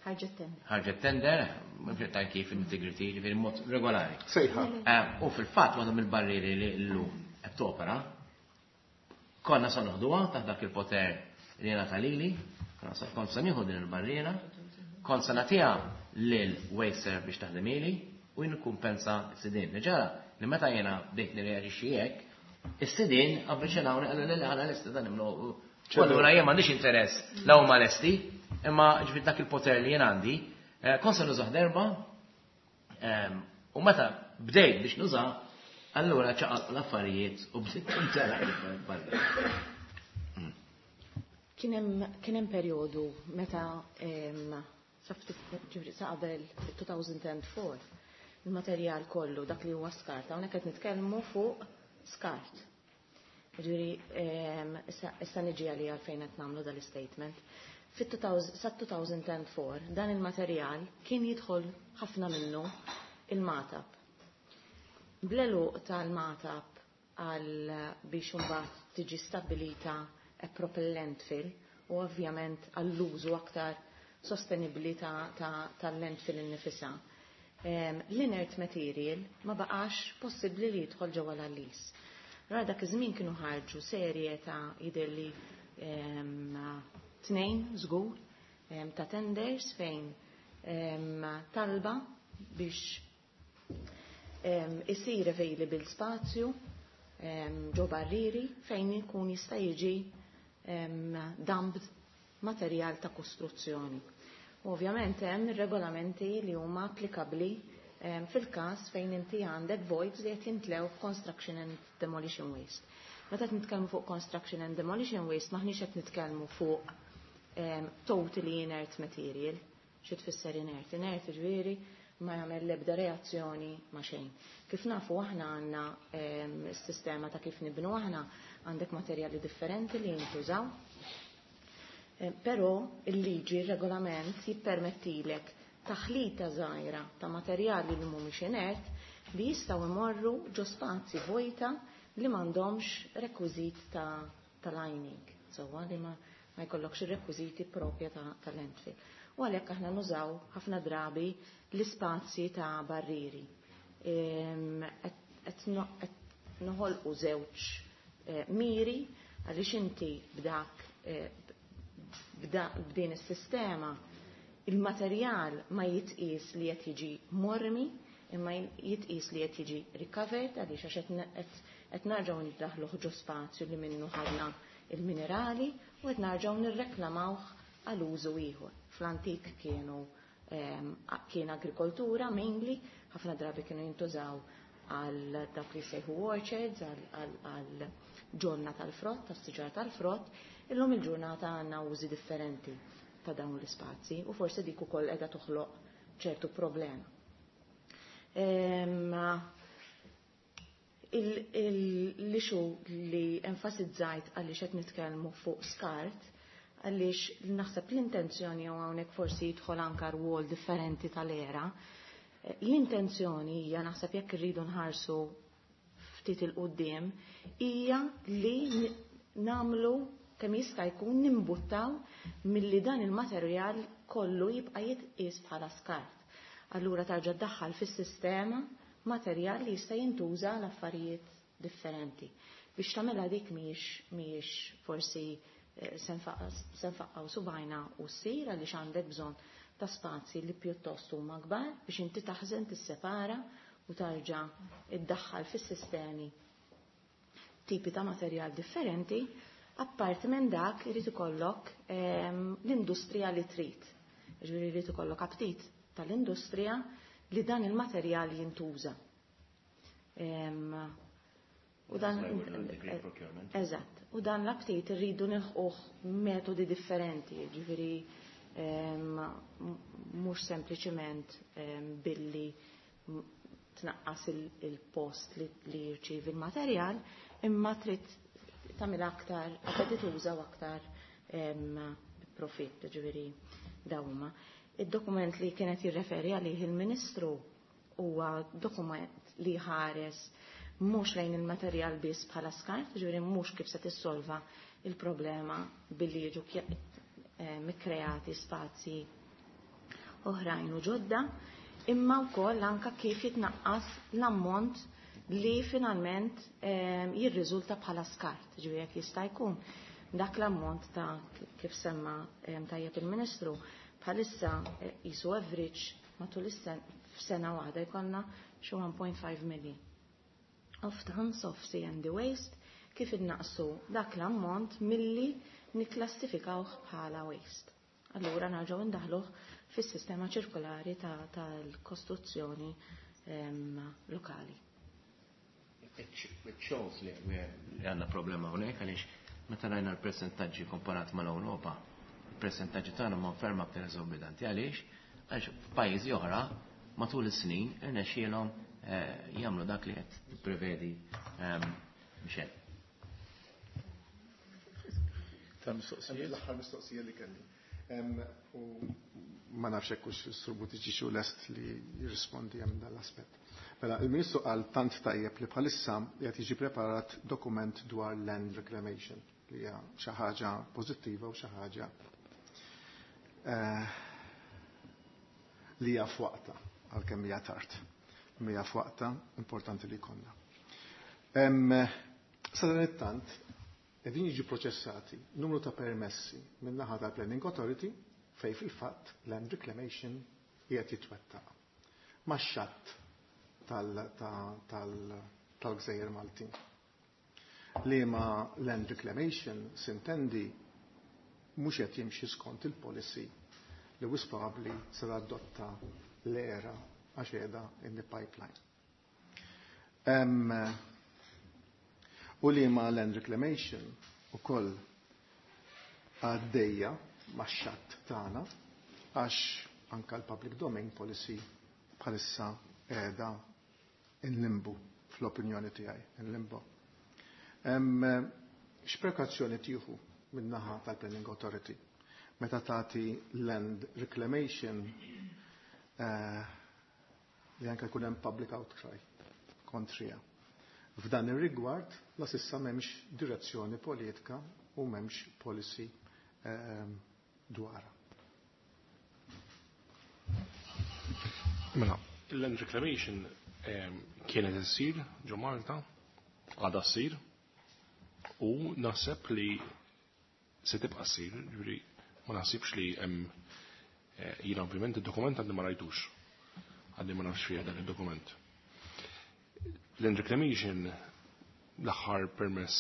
Ħarġet tender. Ħarġet tender, mhux ta' kif integrity, ġifieri mod regolari. Sejħa. U fil-fatt waħda mill-barrieri li llum qed topera, konna sa noħduha taħt dak il-poter li jena lili, kont sa nieħu din il-barriera, kont sa nagħtiha lil Wasteserv biex taħdem ili u jien s-sidien. Ġara li meta jiena bdejt nirreaġixxi hekk, is-sidien avviċinawni qalu li aħna lesti dan nimlu. Allura jien m'għandix interess la huma lesti, imma ġifieri dak il-poter li jien għandi, kont sa nużah darba, u meta bdejt biex nużah, allura ċaqalq l-affarijiet u bdejt intela' il-barra. Kien hemm perjodu meta sa qabel two thousand four il-materjal kollu dak li huwa skart, hawnhekk qed nitkellmu fuq skart. Ġifieri issa niġi għalija għalfejn qed nagħmlu dal-statement. Sa two thousand four dan il-materjal kien jidħol ħafna minnu il-Magħtab. Bl-għeluq tal-Magħtab għal biex imbagħad tiġi stabbilita a proper landfill u ovvjament għall-użu aktar sostenibbli tal-landfill innifisha. L-inert material ma baqax possibbli li jidħol ġewwa l-għallis. Ra dak iż-żmien kienu ħarġu serje ta' jidhirli tnejn żgur ta' tenders fejn talba biex isir available spazju ġo barriri fejn ikun jista' jiġi dumped materjal ta' kostruzzjoni. U ovvjament hemm regolamenti li huma applikabbli fil-każ fejn inti għandek voids li qed jintlew f'construction and demolition waste. Meta qed nitkellmu fuq construction and demolition waste maħniex qed nitkellmu fuq totally inert material. Xi tfisser inert? Inert ġifieri ma jagħmel l-ebda reazzjoni ma' xejn. Kif nafu aħna għandna s-sistema ta' kif nibnu aħna għandek materjali differenti li jintużaw. Però il-liġi, il-regolament jippermettilek taħlita żgħira ta' materjali li mhumiex inert li jistgħu imorru ġo spazji vojta li m'għandhomx rekwiżit ta', ta lining, sewwa li ma, ma jkollokx ir-rekwiżiti propja ta', ta landfill. U għalhekk aħna nużaw ħafna drabi l-ispazji ta' barriri. Qed noħolqu żewġ eh, miri għaliex inti b'dak eh, b'din is-sistema il-materjal ma jitqis li qed jiġi mormi imma jitqis li qed jiġi recovered għaliex għax qed narġgħu niddaħluh ġo spazju li minnu ħadna il-minerali u qed narġgħu nirreklamawh għal użu ieħor. Fl-antik kienu kien agrikoltura mainly, ħafna drabi kienu jintużaw għal dak li sejħu orchards, għal ġonna tal-frott, tas-siġar tal-frott, illum il-ġurnata għandna użi differenti ta' dawn l-ispazji u forsi dik ukoll qiegħda toħloq ċertu problema. L-issue li enfasizzajt għaliex qed nitkellmu fuq skart, għaliex naħseb l-intenzjoni u hawnhekk forsi jidħol anka rwol differenti tal-era, l-intenzjoni hija naħseb jekk irridu nħarsu ftit il-qudiem hija li namlu kemm jista' jkun nimbuttaw milli dan il-materjal kollu jibqa' jitqies bħala skart. Allura tarġa' ddaħħal fis-sistema materjal li jista' jintuża għal affarijiet differenti. Biex tagħmilha dik mhijiex mhijiex forsi se nfaqqgħu subajna u ssir għaliex għandek bżonn ta' spazji li pjuttost huma kbar biex inti taħżen tissepara u tarġa' iddaħħal fis-sistemi tipi ta' materjal differenti. Apparti minn dak irid ikollok l-industrija li trid. Ġifieri jrid ikollok aptit tal-industrija li dan il-materjal jintuża. U dan eżatt, u dan l-aptit irridu nilħquh metodi differenti, ġifieri mhux sempliċement billi tnaqqas il-post li jirċievi il-materjal, imma trid tagħmel aktar appetituża u aktar profitt, ġifieri dawma. Id-dokument li kienet jirreferi għalih il-Ministru huwa dokument li ħares mhux lejn il-materjal biss bħala skart, ġifieri mhux kif se tissolva il-problema billi jiġu mikkreati spazji oħrajn u ġodda, imma wkoll anka kif jitnaqqas l-ammont li finalment jirriżulta bħala skart, ġifieri jekk jista' jkun dak l-ammont ta' kif semma tajjeb il-Ministru bħalissa jisu average matul is-sena waħda jkollna xi one point five million of tons of C and D waste kif innaqsu dak l-ammont milli nikklassifikawh bħala waste. Allura nerġgħu ndaħluh fis-sistema ċirkolari tal-kostruzzjoni lokali. It shows li għandna problema hawnhekk għaliex meta rajna l-persentaġġi komparat mal-Ewropa, il-persentaġġi tagħna ma ferm aktar eżorbitanti. Għaliex? Għax f'pajjiżi oħra matul is-snin irnexxielhom jagħmlu dak li qed tipprevedi Michel. Tal-mistoqsijiet? L-aħħar mistoqsija li kelli. U ma nafx hekk hux is-Sur Buttigieg hu lest li jirrispondi hemm dan l-aspett. Mela, il-Ministru qal tant tajjeb li bħalissa qed jiġi preparat dokument dwar land reclamation li hija xi ħaġa pożittiva u xi ħaġa li hija f'waqta għalkemm hija tard. Hija f'waqta importanti li jkollna. Sa dan it-tant qegħdin jiġu proċessati numru ta' permessi min-naħa tal-Planning Authority fej fil-fatt land reclamation qiegħed jitwettaq max-xatt tal-Gżejjer Maltin. Liema land reclamation sintendi mhux qed jimxi skont il-policy li wis probabbli se adotta l-era għax qiegħda in the pipeline. U liema land reclamation ukoll għaddejja max-xatt tagħna għax anka l-public domain policy bħalissa qiegħda in limbo fl-opinjoni tiegħi, in limbo. X'prekazzjoni tieħu min-naħa tal-Planning Authority meta tagħti land reclamation li anke jkun hemm public outcry kontrija. F'dan ir-rigward la sissa m'hemmx direzzjoni politika u m'hemmx policy dwarha. Mela, il-land reclamation kienet issir ġo Malta Għadha ssir u naħseb li se tibqa' ssir, ġifieri ma naħsibx li hemm jiena ovvjament id-dokument għandi ma rajtux. Għandi ma nafx fih dan id-dokument. Land reclamation l-aħħar permess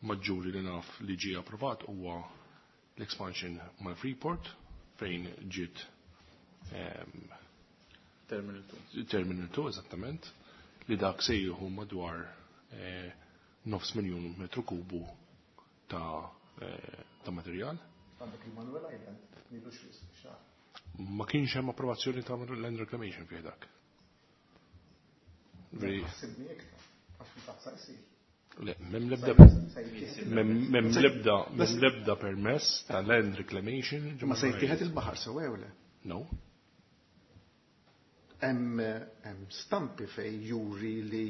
maġġuri li naf li ġie approvat huwa l-expansion mal-Freeport fejn ġiet Terminal two. Terminal two, eżattament, li dak se jieħu madwar nofs miljun metru kubu ta' ta' materjal. Għandek il-Manuel Island, nilu xar. Ma kienx hemm approvazzjoni ta' land reclamation fih dak. Ħassibni iktar, għax fil-fatt sa jsir. Le, mem lebda mem lebda mem lebda permess ta' land reclamation. Ma se jittieħed il-baħar sew jew le? No. Hemm stampi fej juri li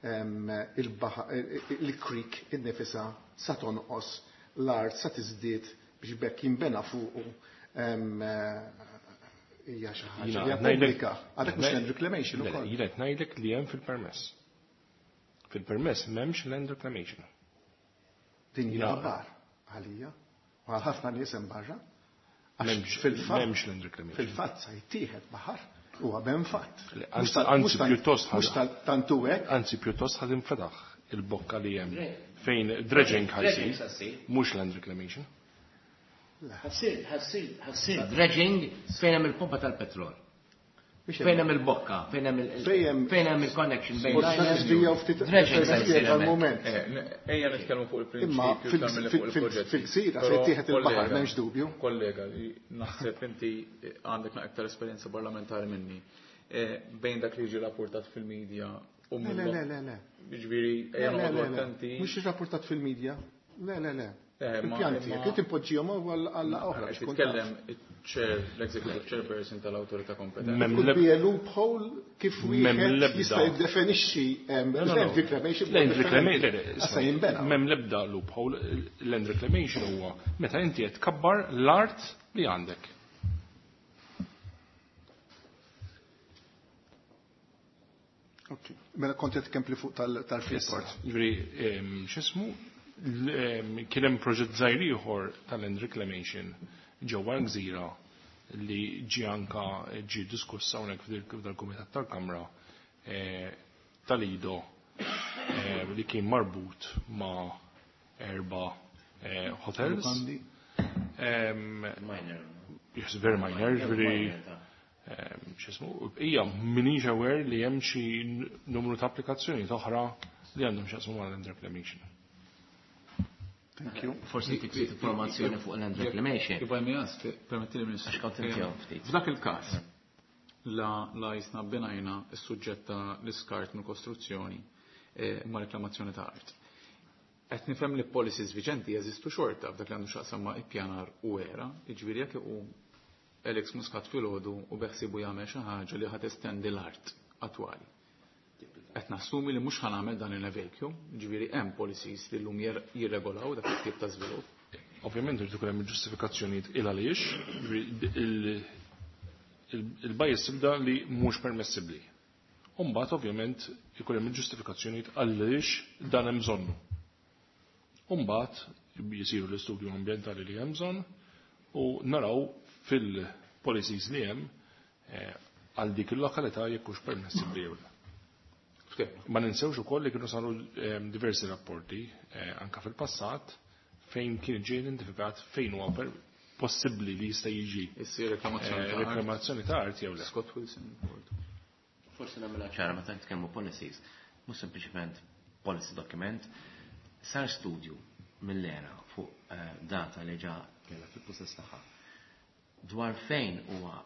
il-baħar il-creek innifisha sa tonqos l-art sa tiżdied biex bekk jinbena fuqu hija xi ħaġa li pubblika. Għadek mhux land reclamation ukoll. Jiena qed ngħidlek li hemm fil-permess. Fil-permess m'hemmx land reclamation. Din hija aħbar għalija u għal ħafna nies hemm barra. M'hemmx land reclamation. Fil-fatt sa jittieħed baħar huwa ben fatt. Anzi pjuttost mhux tantu hekk. Anzi pjuttost ħad infetaħ il-bokka li hemm fejn dredging ħajsir, mhux land reclamation. Ħassir, ħassir, ħassir dredging fejn hemm il-pompa tal-petrol. Fejn hemm il-bokka, fejn hemm fejn hemm il-connection bejn dredging għal-moment. Ejja nitkellmu fuq il-prinċipju tagħmel fuq il-proġett. Fil-gżira se jittieħed il-baħar m'hemmx dubju. Kollega, naħseb inti għandek aktar esperjenza parlamentari minni. Bejn dak li jiġi rapportat fil-medja u Le, le, le, le. Jiġifieri ejja noqogħdu attenti. Mhux irrapportat fil-medja. Le, le, le. Il-pjanti, jekk inti poġġihom għal oħra. Titkellem il-chair, l-executive chairperson tal-awtorità kompetenti. Could be a loophole kif wieħed jista' jiddefinixxi land reclamation. Land reclamation. M'hemm l-ebda loophole, land reclamation huwa meta inti qed tkabbar l-art li għandek. Ok, mela kont qed tkempli fuq tal-Freeport. Ġifieri x'ismu? Kien hemm proġett żgħir ieħor tal-land reclamation ġewwa l-gżira li ġie anka ġie diskuss hawnhekk f'dal-Kumitat tal-Kamra tal-Ido li kien marbut ma' erba' hotels. Minor. Yes, very minor, ġifieri x'ismu, hija minix aware li hemm xi numru ta' applikazzjoni oħra li għandhom x'jaqsmu ma' land reclamation. Thank you. Forsi tik informazzjoni fuq land reclamation. If I may ask, permettili Ministru. Għax kont inti ftit. F'dak il-każ, la la jisna binajna s-suġġett ta' l-iskart mill-kostruzzjoni ma' reklamazzjoni ta' art. Qed nifhem li policies viġenti jeżistu xorta f'dak li għandu x'aqsam ma' ippjanar u era, jiġifieri jekk iqum Alex Muscat filgħodu u beħsibu jagħmel xi ħaġa li ħad estendi l-art attwali. Qed nassumi li mhux ħanagħmel dan in a vacuum, jiġifieri hemm policies li llum jirregolaw dak it-tip ta' żvilupp. Ovvjament irid ikun hemm ġustifikazzjonijiet il għaliex, il-bajs tibda li mhux permessibbli. U mbagħad ovvjament ikun hemm ġustifikazzjonijiet għaliex dan hemm bżonnu. U mbagħad jisiru l-istudju ambjentali li hemm bżonn u naraw fil-policies li hemm għal dik il-lokalità jekk hux permessibbli jew le. Ma ninsewx ukoll li kienu saru diversi rapporti anka fil-passat fejn kien ġie identifikat fejn huwa possibbli li jista' jiġi issir reklamazzjoni ta' art jew le. Scott Wilson report. Forsi nagħmilha ċara meta nitkellmu policies, mhux sempliċement policy document, sar studju mill-era fuq data li ġa kellha fil-possess tagħha dwar fejn huwa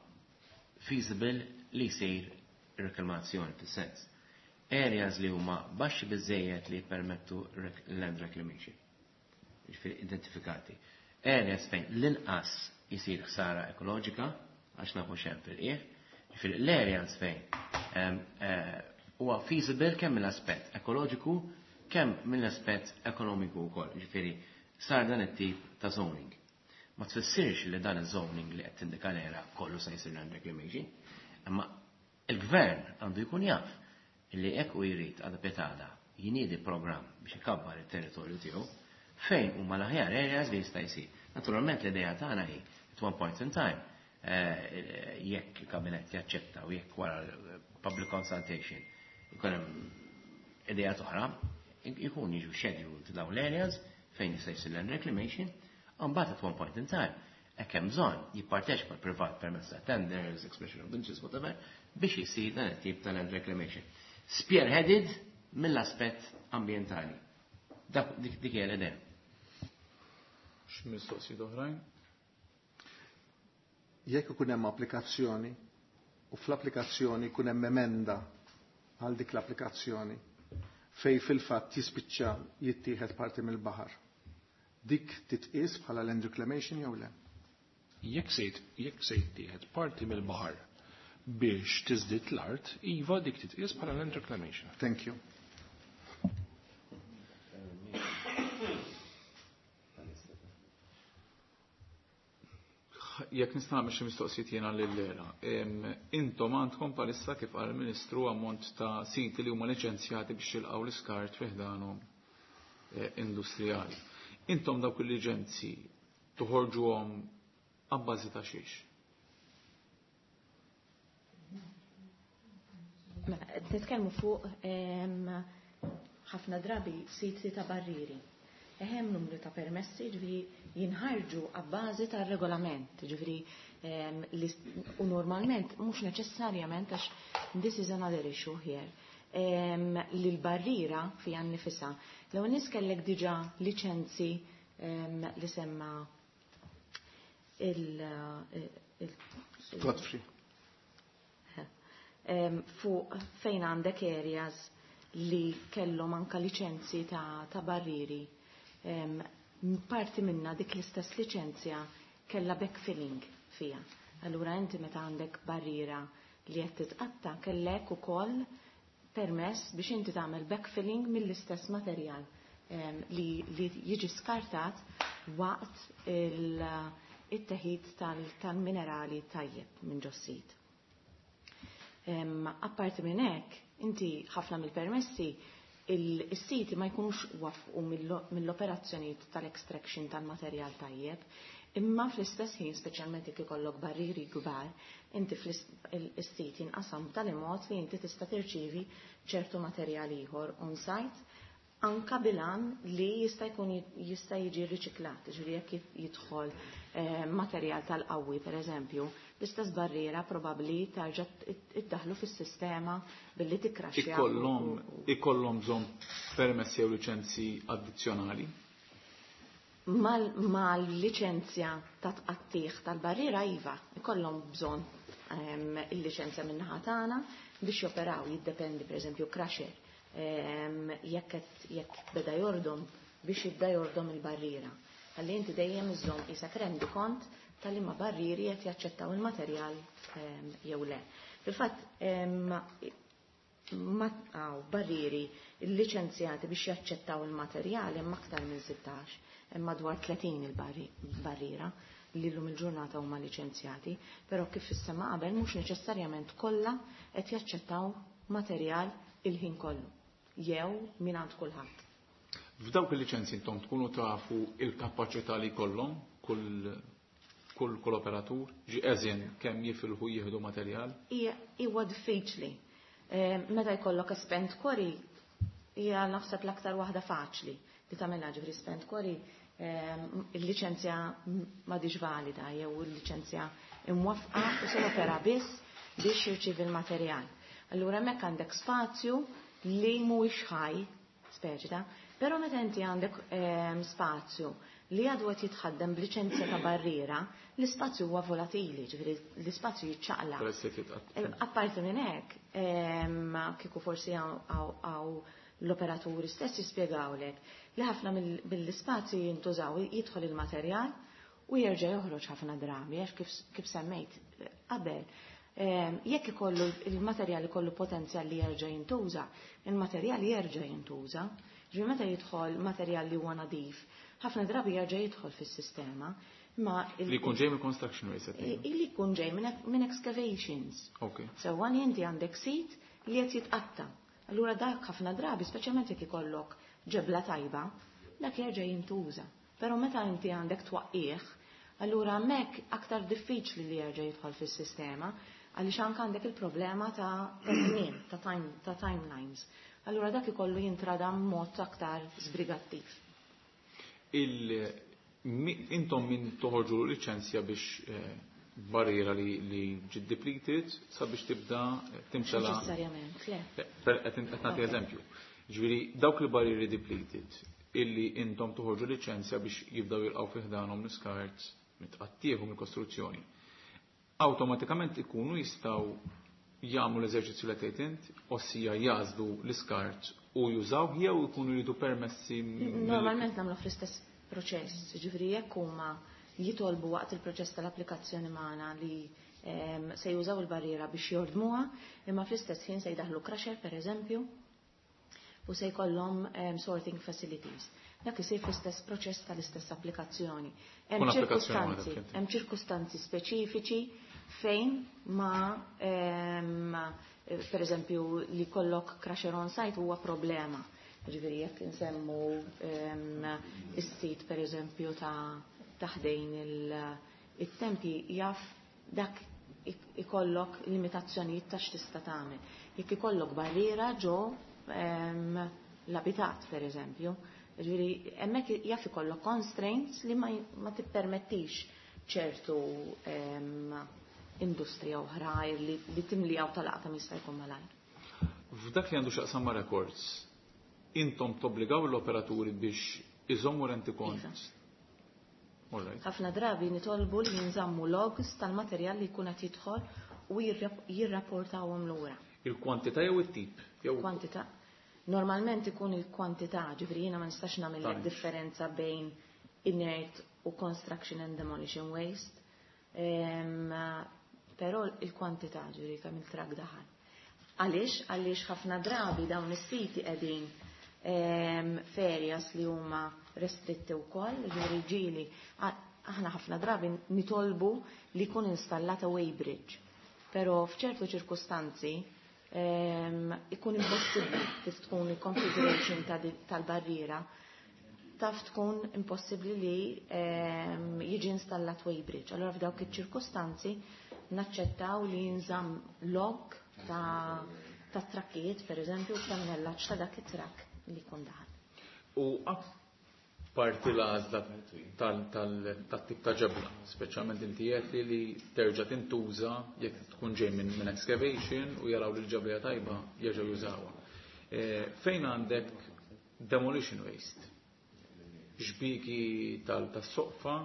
feasible li jsir reklamazzjoni fis-sens. Areas li huma baxxi biżejjed li jippermettu land reclamation. Jiġifieri identifikati. Areas fejn l-inqas isir ħsara ekoloġika għax nafu x'hemm fil-qiegħ. Jiġifieri l-areas fejn huwa feasible kemm mill-aspett ekoloġiku kemm mill-aspett ekonomiku wkoll. Jiġifieri sar dan it-tip ta' zoning. Ma tfissirx li dan iż-zoning li qed tindika l-era kollu se jsir land reclamation, imma il-gvern għandu jkun jaf illi hekk u jrid għada petada jiniedi programm biex ikabbar it-territorju tiegħu fejn huma l-aħjar areas li jista' jsir. Naturalment l-idea tagħna hi at one point in time eh, jekk il-kabinett jaċċetta u jekk wara public consultation ikun hemm idea oħra, ikun jiġu scheduled dawn l-areas fejn jista' jsir land reclamation, mbagħad at one point in time hekk hemm bżonn jipparteċipa l-privat permezz ta' tenders, expression of interest, whatever, biex jisir dan it-tip ta' land reclamation. Spearheaded mill-aspett ambientali. Dak dik dik hija l-idea. X'mistoqsijiet oħrajn? Jekk ikun hemm applikazzjoni u fl-applikazzjoni jkun hemm emenda għal dik l-applikazzjoni fej fil-fatt jispiċċa jittieħed parti mill-baħar. Dik titqies bħala land reclamation jew le? Jekk se jekk se jittieħed parti mill-baħar biex tiżdied l-art, iva dik titqies bħala land reclamation. Thank you. Jekk nista' nagħmel xi mistoqsijiet jiena lil-Lera. Intom għandkom bħalissa kif qal il-Ministru ammont ta' siti li huma liċenzjati biex jilqgħu l-iskart fi ħdanhom eh, industrijali. Intom dawk il-liċenzji toħorġuhom abbażi ta' xiex? Mela, qed nitkellmu fuq em, ħafna drabi siti ta' barriri. Hemm numru ta' permessi, ġifieri jinħarġu abbażi tar-regolament, ġifieri em, li u normalment mhux neċessarjament għax this is another issue here. Em, li l-barriera fiha nnifisha. L-ewwel nies kellek diġà liċenzi em, li semma il, il, il Godfrey. em, fuq fejn għandek areas li kellhom anka liċenzji ta', ta' barriri. Em, parti minna dik l-istess liċenzja kellha backfilling fija. Allura inti meta għandek barriera li qed titqatta kellek ukoll permess biex inti tagħmel backfilling mill-istess materjal em, li, li jiġi skartat waqt il- it-teħid tal-minerali tajjeb minn ġos-sit. Apparti minn hekk, inti ħafna mill-permessi il-siti ma jkunux wafqu mill-operazzjonijiet tal-extraction tal-materjal tajjeb, imma fl-istess ħin, speċjalment jekk ikollok barriri kbar, inti fl-sit jinqasam b'tali mod li inti tista' tirċievi ċertu materjal ieħor on-site anka bilan li jista' jkun jista' jiġi riċiklat, ġifieri jekk jidħol eh, materjal tal-qawwi pereżempju, l-istess barriera probabbli tarġa' iddaħlu fis-sistema billi tikkraxxja. Ikollhom ikollhom bżonn permessi jew liċenzji addizzjonali? Mal-liċenzja ta' tqattih tal-barriera iva, ikollhom bżonn ehm, il-liċenzja min-naħa tagħna biex joperaw, jiddependi pereżempju crusher jekk jekk beda jordom biex jibda jordom il-barriera. Għalli inti dejjem iżżomm qisek rendi kont tal-imma barrieri qed jaċċettaw il-materjal jew le. Fil-fatt għaw barrieri liċenzjati biex jaċċettaw il-materjal hemm aktar minn sittax, hemm madwar tletin il-barriera li llum il-ġurnata huma liċenzjati, però kif issema qabel mhux neċessarjament kollha qed jaċċettaw materjal il-ħin kollu, jew mingħand kulħadd. F'dawk il-liċenzji intom tkunu tafu il-kapaċità li jkollhom kull kull kull operatur, ġi eżin kemm jifilħu jieħdu materjal? Huwa diffiċli. Meta jkollok spent quarry, hija naħseb l-aktar waħda faċli li tagħmilha, ġifieri spent quarry il-liċenzja m'għadix valida jew il-liċenzja imwaffqa u se jopera biss biex jirċievi l-materjal. Allura hemmhekk għandek spazju li mhuwiex ħaj, speċi ta', però meta inti għandek spazju li għadu qed jitħaddem b'liċenzja ta' barriera, l-ispazju huwa volatili, ġifieri l-ispazju jiċċaqlaq. Apparti minn hekk, kieku forsi hawn l-operaturi stess jispjegawlek li ħafna mill-ispazju jintużaw jidħol il-materjal u jerġa' joħroġ ħafna drabi, għax kif semmejt qabel. Jekk ikollu il-materjal ikollu potenzjal li jerġa' jintuża, il-materjal jerġa' jintuża. Ġifieri meta jidħol materjal li huwa nadif, ħafna drabi jerġa' jidħol fis-sistema. Ma li jkun ġej mill construction waste. Li jkun ġej minn excavations. Okay. So għan inti għandek sit li qed jitqatta. Allura dak ħafna drabi, speċjalment jekk ikollok ġebla tajba, dak jerġa' jintuża. Però meta inti għandek twaqqih, allura hemmhekk aktar diffiċli li jerġa' jidħol fis-sistema, għaliex anke għandek il-problema ta' żmien, ta' time, ta' timelines. Allura dak ikollu jintrada mod aktar sbrigattiv. Il intom min toħorġu liċenzja biex eh, barriera li, li ġiet depleted sabiex tibda timtela. Neċessarjament, le. Qed nagħti eżempju. Ġifieri dawk li barrieri depleted illi intom toħorġu liċenzja biex jibdaw jilqgħu fi ħdanhom l-iskart mit-tqattieħu mill-kostruzzjoni. Awtomatikament ikunu jistgħu jagħmlu l-eżerċizzju li tgħid int, ossia jażlu l-iskart u jużaw jew ikunu jridu permessi. Normalment nagħmlu fl-istess proċess, ġifieri jekk huma jitolbu waqt il-proċess tal-applikazzjoni magħna li se jużaw il-barriera biex jordmuha, imma fl-istess ħin se jdaħlu crusher pereżempju u se jkollhom sorting facilities. Dak isir fl-istess proċess tal-istess applikazzjoni. Hemm ċirkustanzi, hemm ċirkustanzi speċifiċi fejn ma per eżempju li kollok crusher on site huwa problema. Ġifieri jekk insemmu is-sit per eżempju ta' taħdejn il-tempi jaf dak ikollok limitazzjonijiet ta' x'tista' tagħmel. Jekk ikollok barriera ġo l-abitat per eżempju, ġifieri hemmhekk jaf ikollok constraints li ma tippermettix ċertu industrija oħra li, li timlijaw tal-aqta jista' jkun malajr. F'dak li għandu x'aqsam ma' records, intom tobbligaw l-operaturi biex iżommu rentikont? Ħafna drabi nitolbu li jinżammu logs tal-materjal li jkun qed jidħol u jirrapportawhom lura. Il-kwantità jew it-tip? Kwantità. Normalment ikun il-kwantità, ġifieri jiena ma nistax nagħmel differenza bejn inert u construction and demolition waste. Però il-kwantità, ġifieri kemm il-trak daħal. Għaliex? Għaliex ħafna drabi dawn is-siti qegħdin f'areas li huma restritti wkoll, ġifieri ġieli aħna ħafna drabi nitolbu li jkun installata weighbridge. Però f'ċertu ċirkustanzi ikun impossibbli kif tkun il-configuration tal-barriera, taf tkun impossibbli li jiġi installat weighbridge. Allora f'dawk iċ-ċirkustanzi naċċettaw li jinżamm log ta' ta' trakkijiet, per eżempju, tannellaġġ ta' dak it-trakk li jkun daħal. U apparti l-għażla tat-tip ta' ġebla, speċjalment inti qed li li terġa' tintuża jekk tkun ġej minn excavation u jaraw li l-ġebla tajba jerġgħu jużawha. Fejn għandek demolition waste? Xbiki tas-soqfa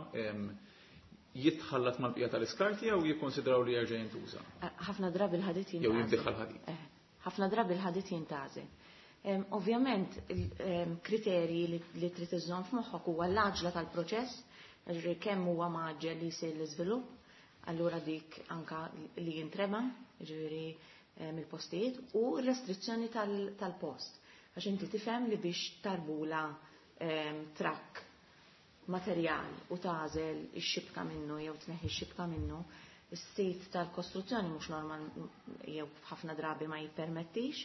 jitħallat mal-bqija tal-iskarti jew jikkonsidraw li jerġa' jintuża? Ħafna drabi l-ħadid jintgħażel. Jew jinbidħal ħadid. Ħafna drabi l-ħadid jintgħażel. Ovvjament il-kriterji li trid iżżomm f'moħħok huwa l-għaġla tal-proċess, ġifieri kemm huwa maġġel li jsir l-iżvilupp, allura dik anka li jintrema, ġifieri mill-postijiet, u r-restrizzjoni tal-post. Għax inti tifhem li biex tarbula trakk materjal u tażel ix-xibka minnu jew tneħħi x-xibka minnu, is-sit tal-kostruzzjoni mhux normal jew ħafna drabi ma jippermettix,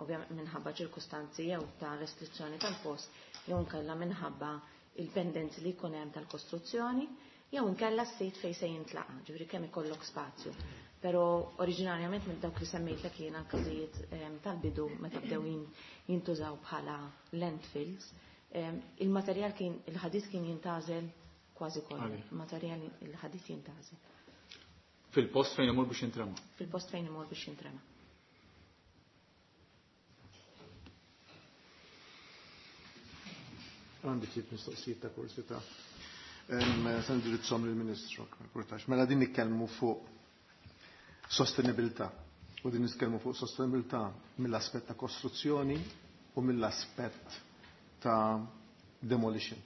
ovvjament minħabba ċirkustanzi jew ta' restrizzjoni tal-post, jew nkella minħabba il-pendenzi li jkun hemm tal-kostruzzjoni, jew nkella s-sit fejn se jintlaqa, ġifieri kemm ikollok spazju. Però oriġinarjament minn dawk li semmejtlek jiena każijiet tal-bidu meta bdew jintużaw bħala landfills, il-materjal kien, il-ħadid kien jintażel kważi kollu. Il-materjal il-ħadid jintażel. Fil-post fejn imur biex jintrema? Fil-post fejn imur biex jintrema. Għandi ftit mistoqsijiet ta' kursità. Se ndirizzhom lill-Ministru. Mela din nitkellmu fuq sostenibilità. U din nitkellmu fuq sostenibilità mill-aspett ta' kostruzzjoni u mill-aspett ta' demolition.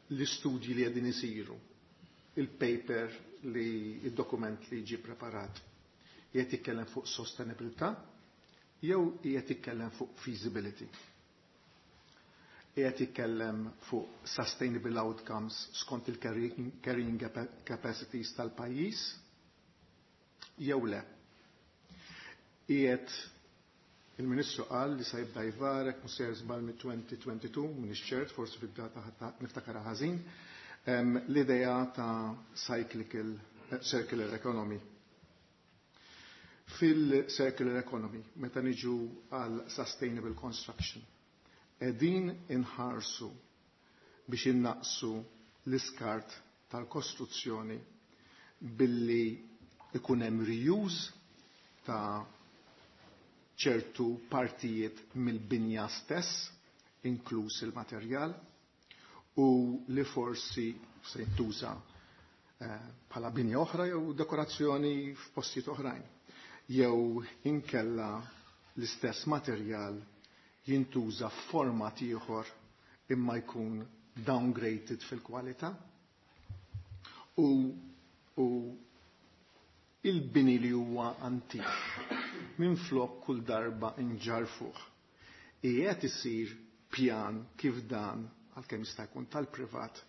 L-istudji li qegħdin isiru, il-paper li il-dokument li ġie preparat, qiegħed jitkellem fuq sostenibilità jew qiegħed jitkellem fuq feasibility. Qiegħed jitkellem fuq sustainable outcomes skont il-carrying capacities tal-pajjiż jew le. Qiegħed il-Ministru qal li se jibda jvarek mhux sejjer żball mit-twenty twenty-two, m'iniex ċert, forsi fid-data niftakarha ħażin, l-idea ta' cyclical eh, circular economy. Fil-circular economy, meta niġu għal sustainable construction, qegħdin inħarsu biex innaqsu l-iskart tal-kostruzzjoni billi ikun hemm reuse ta' ċertu partijiet mill-binja stess, inkluż il-materjal, u li forsi se jintuża eh, bħala binja oħra jew dekorazzjoni f'postijiet oħrajn. Jew inkella l-istess materjal jintuża f'format ieħor imma jkun downgraded fil-kwalità. U, u il-bini li huwa antik minn flok kull darba inġarfuh. Qiegħed isir pjan kif dan, għalkemm jista' jkun tal-privat,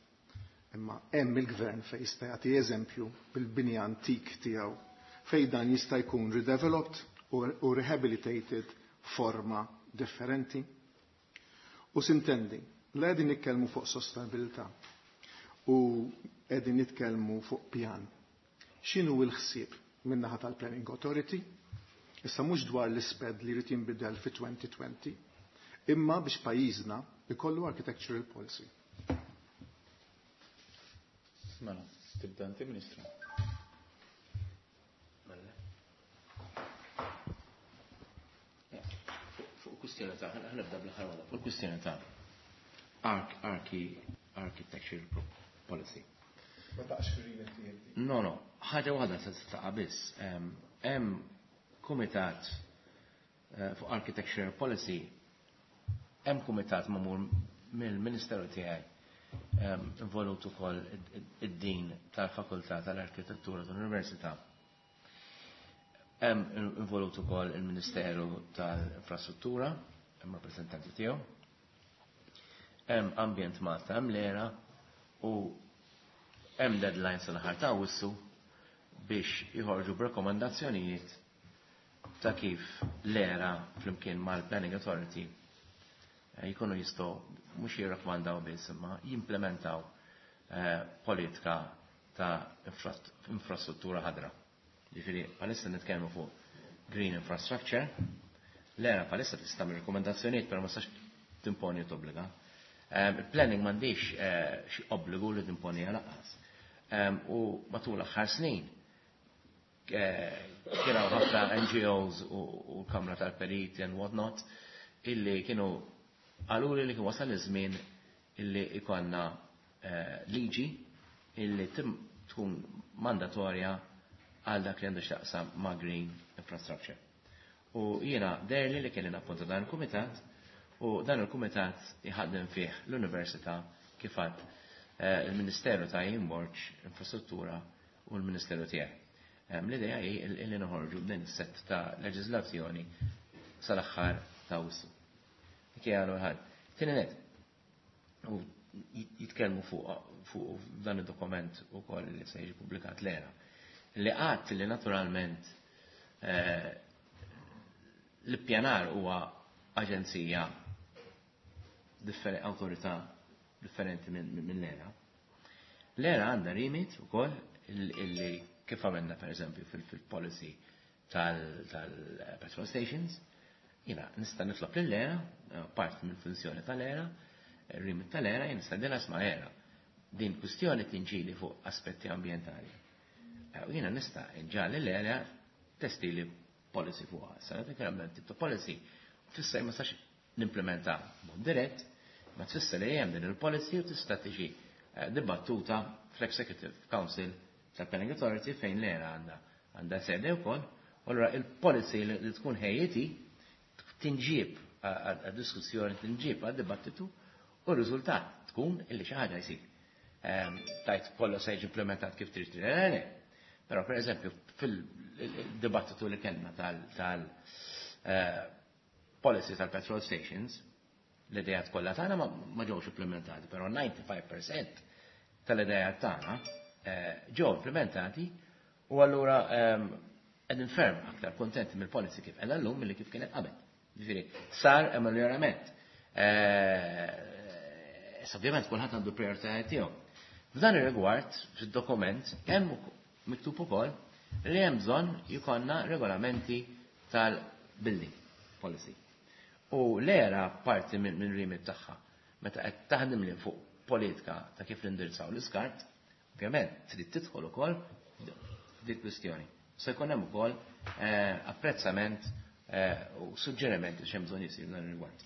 imma hemm il-gvern fejn jista' jagħti eżempju bil-bini antik tiegħu fejn dan jista' jkun redeveloped u rehabilitated forma differenti. U sintendi, la qegħdin nitkellmu fuq sostenibilità u qegħdin nitkellmu fuq pjan. X'inhu l-ħsieb min-naħa tal-Planning Authority? Issa mhux dwar l-isped li jrid jinbidel fi twenty twenty, imma biex pajjiżna ikollu architectural policy. Mela, tibda inti, Ministru. Mela. Fuq kwistjoni ta' ħa nibda bl-aħħar waħda, fuq kwistjoni ta' archi architectural policy. Ma taqx fir tiegħek. No, no, ħaġa waħda se taqa' biss. Hemm kumitat eh, fuq architectural policy, hemm kumitat magħmul mill-Ministeru tiegħi, involut ukoll id-din tal-Fakultà tal-Arkitettura tal-Università. Hemm involut ukoll il-Ministeru tal-Infrastruttura, hemm rappreżentanti tiegħu. Hemm Ambjent Malta, hemm l-ERA u hemm deadline sal-aħħar ta' Awwissu biex jħorġu b'rakkomandazzjonijiet ta' kif l-ERA flimkien mal-Planning Authority eh, jkunu jistgħu mhux jirrakkomandaw biss imma jimplementaw eh, politika ta' infrastruttura ħadra. Ġifieri bħalissa nitkellmu fuq green infrastructure, l-ERA bħalissa tista' tagħmel rekomendazzjonijiet, però ma tistax timponi u tobbliga. Eh, il-planning m'għandix xi obbligu li timponi lanqas. U matul l-aħħar snin kienu ħafna N G Os u l-Kamra tal-Periti and whatnot illi kienu qaluli li kien wasal iż-żmien illi ikonna eh, liġi illi tkun mandatorja għal dak li għandu x'taqsam ma' green infrastructure. U jiena deherli li kelli nappunta dan il-kumitat u dan il-kumitat jħaddem fih l-Università, kif għedt, eh, il-Ministeru ta' Borg Infrastruttura u l-Ministeru tiegħi. L-idea hi li noħorġu b'din is-set ta' leġiżlazzjoni sal-aħħar ta' Awwissu. Dik hija l ħaġa. Tieni net, u jitkellmu fuq fuq dan id-dokument ukoll li se jiġi pubblikat l-ERA. Li qatt li naturalment eh, l-ippjanar huwa aġenzija, awtorità differenti minn l-ERA. L-ERA għandha remit ukoll illi kif għamilna per eżempju fil-policy tal-petrol stations, jiena nista' nitlob lill-ERA, part mill-funzjoni tal-ERA, remit tal-ERA, jina nista' dina sma' ERA. Din kwistjoni tinġili fuq aspetti ambientali. U jiena nista' nġagħal l-ERA testili policy fuqha. Sa dik tip ta' policy tfisser ma sax nimplementa mod dirett, ma tfisser li hemm din il-policy u tista' tiġi eh, dibattuta fl-Executive Council tal-Planning Authority fejn l-ERA għandha għandha sede wkoll, u allura il-policy li tkun ħejjiti tinġib għad-diskussjoni, tinġib għad-dibattitu u r-riżultat tkun illi xi ħaġa jsir. Ehm, tajt kollu se jiġi implementat kif trid, le, le. Però per eżempju fil-dibattitu li kellna tal eh, policy tal-petrol stations, l-idejat kollha tagħna ma ġewx implementati, però disgħa u disgħin fil-mija tal-idejat tagħna eh, ġew implementati u allura ehm, Qegħdin ferm aktar kontenti mill-policy kif qiegħda llum milli kif kienet qabel. Ġifieri, sar ameljoramент. Issa ovvjament kulħadd għandu prioritajiet tiegħu. F'dan ir-rigward, fid-dokument, hemm miktub ukoll li hemm bżonn jkollna regolamenti tal-building policy. U l-ERA parti minn min remit tagħha meta qed taħdem li fuq politika ta' kif nindirizzaw l-iskart, ovvjament trid tidħol ukoll f'dik kwistjoni. Se jkun hemm ukoll eh, apprezzament eh, u suġġerimenti x'hemm bżonn jisir dan ir-rigward.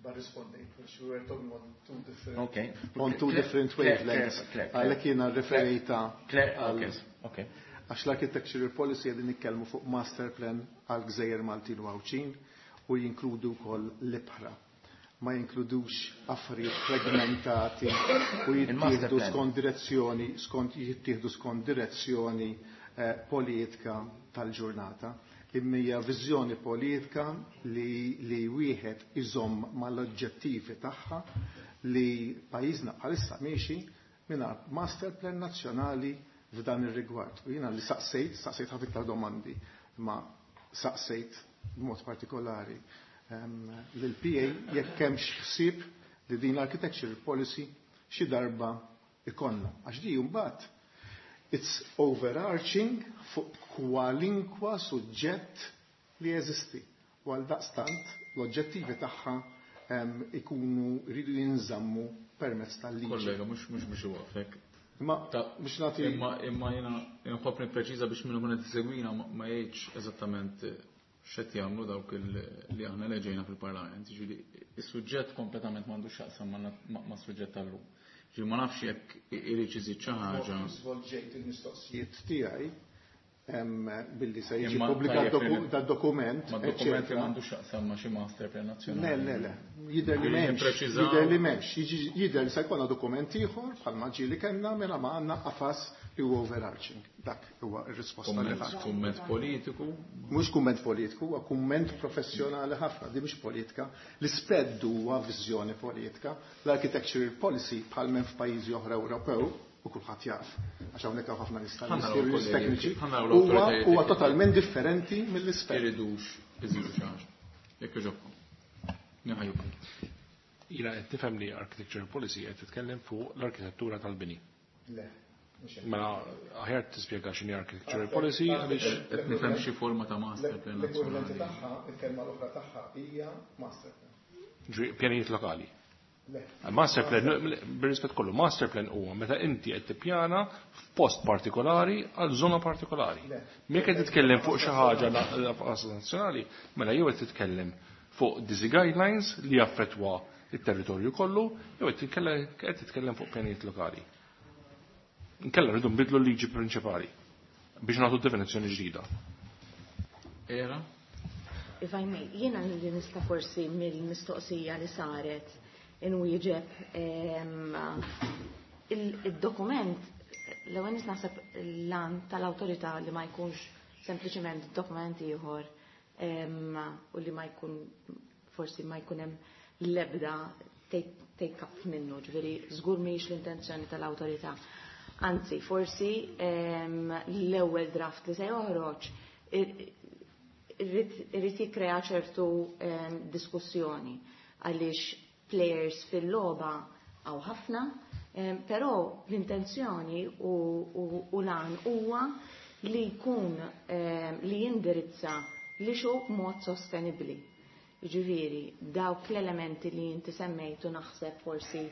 But responding, which we were talking on two different, Okay. on two different wavelengths. Għalhekk jiena referejta Claire, okay. Għax l-architectural policy qegħdin nitkellmu fuq master plan għal gżejjer Maltin u Għawdxin u jinkludu wkoll l-ibħra. Ma jinkludux affarijiet fragmentati u jittieħdu skont direzzjoni, skont jittieħdu skont direzzjoni eh, politika tal-ġurnata. Imma hija viżjoni politika li, li wieħed iżomm mal-oġġettivi tagħha li pajjiżna bħalissa miexi mingħajr master plan nazzjonali f'dan ir-rigward. U jiena li saqsejt, saqsejt ħafna iktar domandi, ma saqsejt b'mod partikolari um, lill-P A jekk hemmx ħsieb li din l-architecture policy xi darba ikollna. Għax di mbagħad it's overarching fuq kwalinkwa suġġett li jeżisti. U għal daqstant l-oġġettivi tagħha um, ikunu rridu jinżammu permezz tal-liġi. Kollega, mhux mhux biex iwaqfek. Imma biex nagħti Imma imma jiena nħobb nippreċiża biex minnu kun qed isegwina ma ma jgħidx eżattament x'qed jagħmlu dawk li aħna leġejna fil-Parlament. Jiġifieri is-suġġett kompletament m'għandux x'jaqsam ma' suġġett tal-lum. Ġifieri ma nafx jekk irid iżid xi ħaġa. Żvolġejt il-mistoqsijiet tiegħi billi se jiġi pubblikat dad-dokument. Ma dokument li m'għandux x'jaqsam ma' xi master plan nazzjonali. Le, le, le. Jidher li m'hemmx. Jidher li m'hemmx. Jidher li se jkollna dokument ieħor bħalma ġieli kellna mela ma għandna qafas li huwa overarching. Dak huwa r-risposta li ħadd. Kumment politiku? Mhux kumment politiku, huwa kumment professjonali ħafna, di mhux politika. L-isped huwa viżjoni politika. L-architectural policy bħal minn f'pajjiżi oħra Ewropew u kulħadd jaf, għax hawnhekk hawn ħafna nies tekniċi, huwa huwa totalment differenti mill-isped. Iridux iżidu xi ħaġa. Jekk jogħġobkom. Niħajjukom. Jiena qed nifhem li architecture policy qed titkellem fuq l-arkitettura tal-bini. Le. Mela aħjar tispjega x'inhi architectural policy għaliex qed nifhem xi forma ta' master plan nazzjonali. Tagħha, il-kelma l-oħra tagħha hija master plan. Pjanijiet lokali. Master plan, bir-rispett kollu, master plan huwa meta inti qed tippjana f'post partikolari għal żona partikolari. Jekk qed titkellem fuq xi ħaġa nazzjonali, mela jew qed titkellem fuq disi guidelines li jaffettwa it-territorju kollu, jew qed titkellem fuq pjanijiet lokali. Nkella rridu nbidlu l-liġi prinċipali biex nagħtu definizzjoni ġdida. Era? If I may, jiena li nista' forsi mill-mistoqsija li saret inwieġeb il-dokument l-ewwel nies naħseb l-għan tal-awtorità li ma jkunx sempliċement dokument ieħor u li ma jkun forsi ma jkun hemm l-ebda take up minnu, ġifieri żgur mhijiex l-intenzjoni tal-awtorità. Anzi, forsi l-ewwel draft li se joħroġ irrid jikkrea ċertu diskussjoni għaliex players fil-logħba hawn ħafna, però l-intenzjoni u l-għan huwa li jkun li jindirizza li xu b'mod sostenibbli. Ġifieri, dawk l-elementi li inti semmejtu naħseb forsi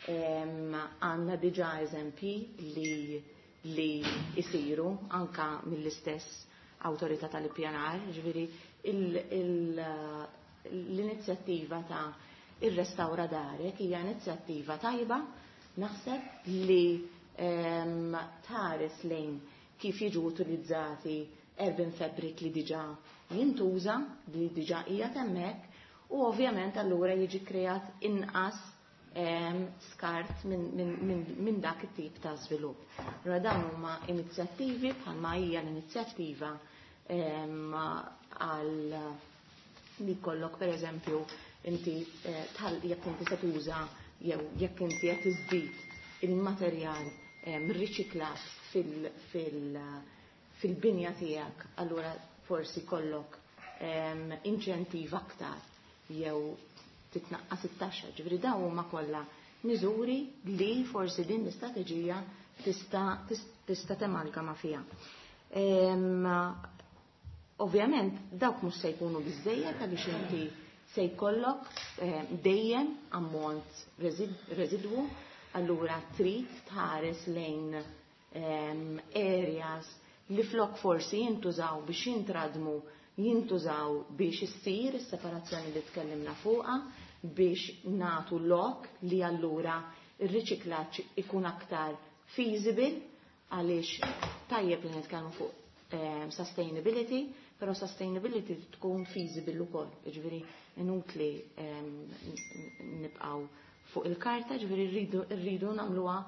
għandna diġà eżempji li li jisiru anka mill-istess awtorità tal-ippjanar, ġifieri l-inizjattiva ta' ir-restawra darek hija inizjattiva tajba, naħseb li tħares lejn kif jiġu utilizzati urban fabric li diġà jintuża, li diġà hija hemmhekk, u ovvjament allura jiġi kreat inqas skart minn min, min, min dak it-tip ta' żvilupp. Allura dawn huma inizjattivi bħalma hija l-inizjattiva għal li kollok per eżempju inti jekk inti se tuża jew jekk inti qed iżdid il-materjal riċiklat fil fil fil-binja tiegħek, allura forsi kollok um, inċentiv aktar jew titnaqqas it-taxxa. Ġifieri dawn huma kollha miżuri li forsi din l-istrateġija tista' tista' temalgama fiha. Um, ovvjament dawk mhux se jkunu biżejjed għaliex inti se jkollok dejjem ammont residwu, allura trid tħares lejn um, areas li flok forsi jintużaw biex jintradmu, jintużaw biex issir is-separazzjoni li tkellimna fuqha, biex natu lok li allura ir-riċiklaġġ ikun aktar feasible, għaliex tajjeb li nitkellmu fuq um, sustainability, però sustainability tkun feasible ukoll, jiġifieri inutli um, nibqgħu fuq il-karta, ġifieri rridu rridu nagħmluha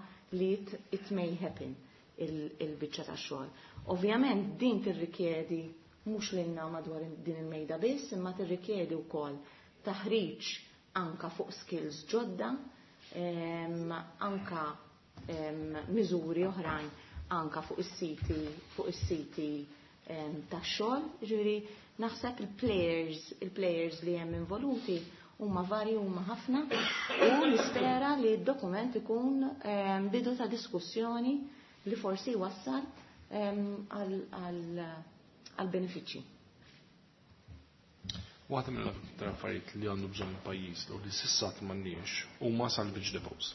li it, it may happen il-biċċa ta' xogħol. Ovvjament din tirrikjedi mhux lilna madwar din il-mejda biss, imma tirrikjedi wkoll taħriġ anka fuq skills ġodda, em, anka em, miżuri oħrajn anka fuq is-siti fuq is-siti ta' xogħol, ġifieri naħseb il-players il-players li hemm involuti huma varji, huma ħafna, u nispera li d-dokument ikun bidu ta' diskussjoni li forsi wassal għal benefiċċji. Waħda mill-aktar affarijiet li għandu bżonn il-pajjiż u li s'issa m'għandniex huma salvage depots.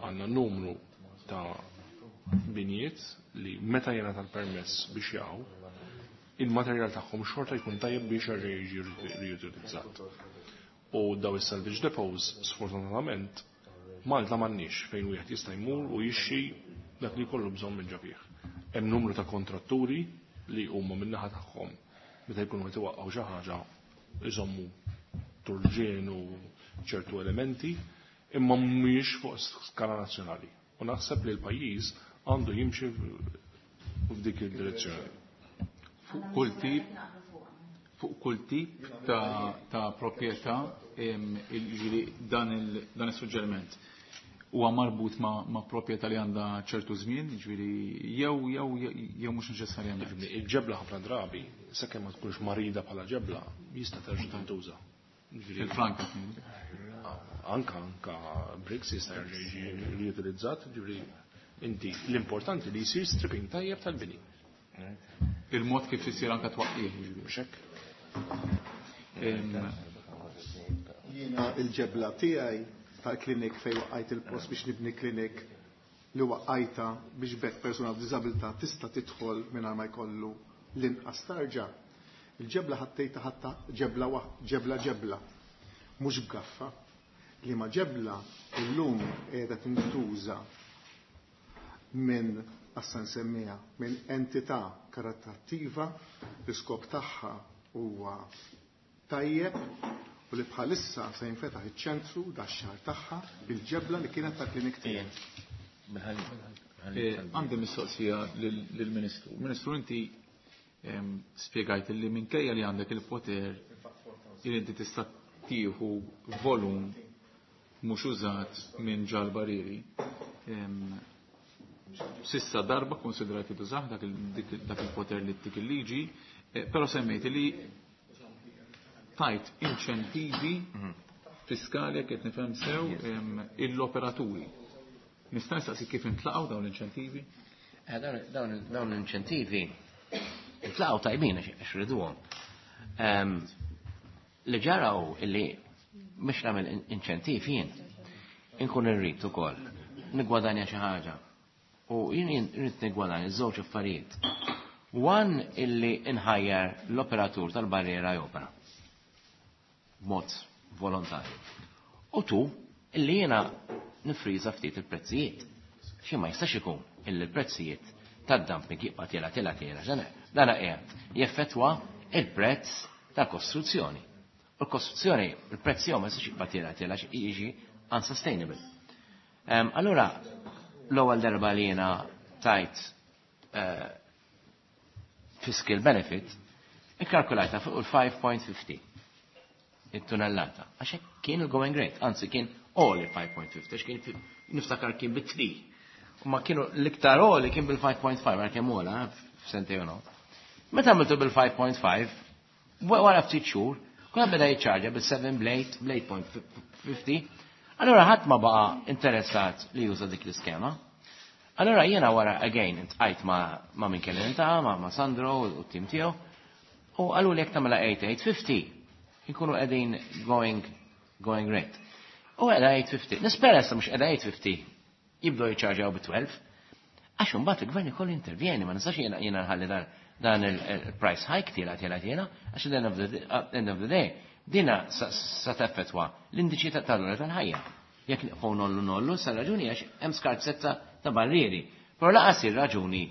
Għandna numru ta' binjiet li meta jingħata l-permess biex jaqgħu, il-materjal tagħhom xorta jkun tajjeb biex jerġa' jiġi riutilizzat. U daw is-salvage depots, sfortunatament, Malta m'għandniex fejn wieħed jista' jmur u jixxi dak li jkollu bżonn minn ġo fih. Hemm numru ta' kontratturi li huma min-naħa tagħhom meta jkunu qed iwaqqgħu xi ħaġa iżommu turġien u ċertu elementi, imma mhumiex fuq skala nazzjonali. U naħseb li l-pajjiż għandu jimxi f'dik id-direzzjoni. Fuq kull tip, fuq kull tip ta', ta' proprjetà, jiġifieri dan il, dan is-suġġeriment huwa marbut ma', ma' proprjetà li għandha ċertu żmien, jiġifieri jew jew jew mhux neċessarjament. Il-ġebla ħafna drabi, sakemm ma tkunx marida bħala ġebla, jista' terġa' tintuża. Il-franka. Anka anka bricks jista' jerġa' jiġi riutilizzat, ġifieri inti l-importanti li jsir stripping tajjeb tal-bini. Il-mod kif isir anka twaqqih, mhux hekk. Jiena il-ġebla tiegħi tal-klinik fejn waqqajt il-post biex nibni klinik li waqqajta biex bekk persuna b'diżabilità tista' tidħol mingħajr ma jkollu l-inqas tarġa. Il-ġebla ħattejta ħatta ġebla ġebla ġebla, mhux b'gaffa. Li ma ġebla illum qiegħda tintuża minn assa nsemmiha minn entità karitattiva l-iskop tagħha huwa tajjeb u li bħalissa se jinfetaħ iċ-ċentru dax-xahar tagħha bil-ġebla li kienet tal-klinik tiegħi. Għandi mistoqsija lill-Ministru. Ministru, inti spjegajt li minkejja li għandek il-poter li inti tista' tieħu volum mhux użat minn ġal-barrieri. Sissa darba konsidrati tużah dak il-poter li tik il-liġi, però semmejt li tajt inċentivi fiskali jekk qed nifhem sew l-operaturi. Nista' nistaqsi kif intlaqgħu dawn l-inċentivi? Dawn l-inċentivi intlaqgħu tajbin għax riduhom. Li ġaraw illi mhux nagħmel inċentiv jien, inkun irrid ukoll nigwadanja xi ħaġa. U jien irrid nigwadanja żewġ affarijiet. One illi inħajjar l-operatur tal-barriera jopera b'mod volontarju. U tu illi jiena nifriża ftit il-prezzijiet. Xi ma jistax ikun illi l-prezzijiet tad-dumping jibqa' tiela tiela tiela. Dana qiegħed jeffettwa il-prezz tal-kostruzzjoni. U l-kostruzzjoni, il-prezz jew ma jistax jibqa' tiela tiela jiġi unsustainable. Allura l-ewwel darba li jiena tajt uh, fiscal benefit, ikkalkulajta fuq il-five point fifty it-tunnellata. Għax hekk kien il-going rate, anzi kien all il-five point fifty, għax kien niftakar kien bit-three. U ma kienu l-iktar all kien bil-five point five, għal kemm ola, f'sentejn u nofs. Meta għamiltu bil-five point five, wara ftit xhur, kulħadd beda jiċċarġa bil-seven, bl-eight, bl-eight point fifty. Allora ħadd ma baqa interessat li juża dik l-iskema. Allora jiena wara again iltqajt ma, ma min kelli niltaqa', ma, ma Sandro u t-tim tiegħu, u qalu li jekk tagħmilha eight eight fifty, inkunu qegħdin going going great. U qiegħda eight fifty. Nispera issa mhux qiegħda eight fifty jibdew jiċċarġaw bi tnax. Għax imbagħad il-gvern ikollu intervjeni, ma nistax jiena jiena nħalli dan dan il-price hike tiela tiela tiela, għax at the end of the, at end of the day, dina sa teffettwa l-indiċi ta' tal tal-ħajja. Jekk nibqgħu ngħollu ngħollu, sa raġuni għax hemm skarsezza ta' barrieri. Però lanqas ir-raġuni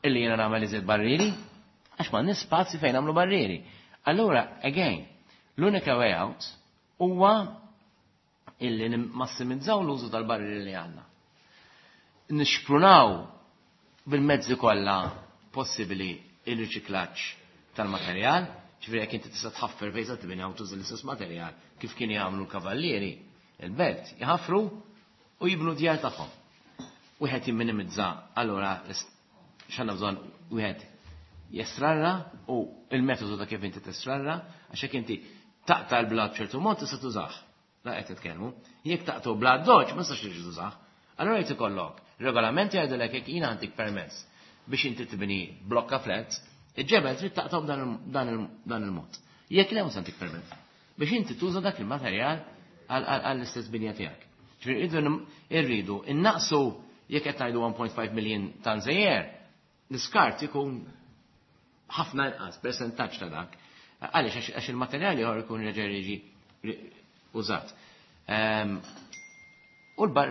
illi jiena nagħmel iżjed barrieri, għax ma spazji fejn nagħmlu barrieri. Allura, again, l-unika way out huwa illi nimmassimizzaw l-użu tal-barrieri li għandna. Nixprunaw bil-mezzi kollha possibbli il-riċiklaġġ tal-materjal, ġifieri jekk inti tista' tħaffer fejn se tibni tuża l-istess materjal kif kienu jagħmlu l-kavallieri, il-belt, jħafru u jibnu djar tagħhom. Wieħed jimminimizza, allura x'għandna bżonn wieħed jestrarra u il-metodu ta' kif inti testrarra, għax jekk inti taqta' l-blat b'ċertu mod tista' tużah. La qed titkellmu. Jekk taqtu blat doġ ma tistax tiġi tużah. Allura jrid ikollok regolamenti jgħidulek jekk jiena għandik permess biex inti tibni blokka flats, il-ġebel trid taqtaw dan il-mod. Jekk le, mhux għandik permess. Biex inti tuża dak il-materjal għall-istess binja tiegħek. Ġifieri irridu innaqsu jekk qed ngħidu one point five million tons a year, l-iskart ikun ħafna inqas percentaġġ ta' dak. Għaliex għax il-materjali ieħor ikun reġa' jiġi użat. U l-bar,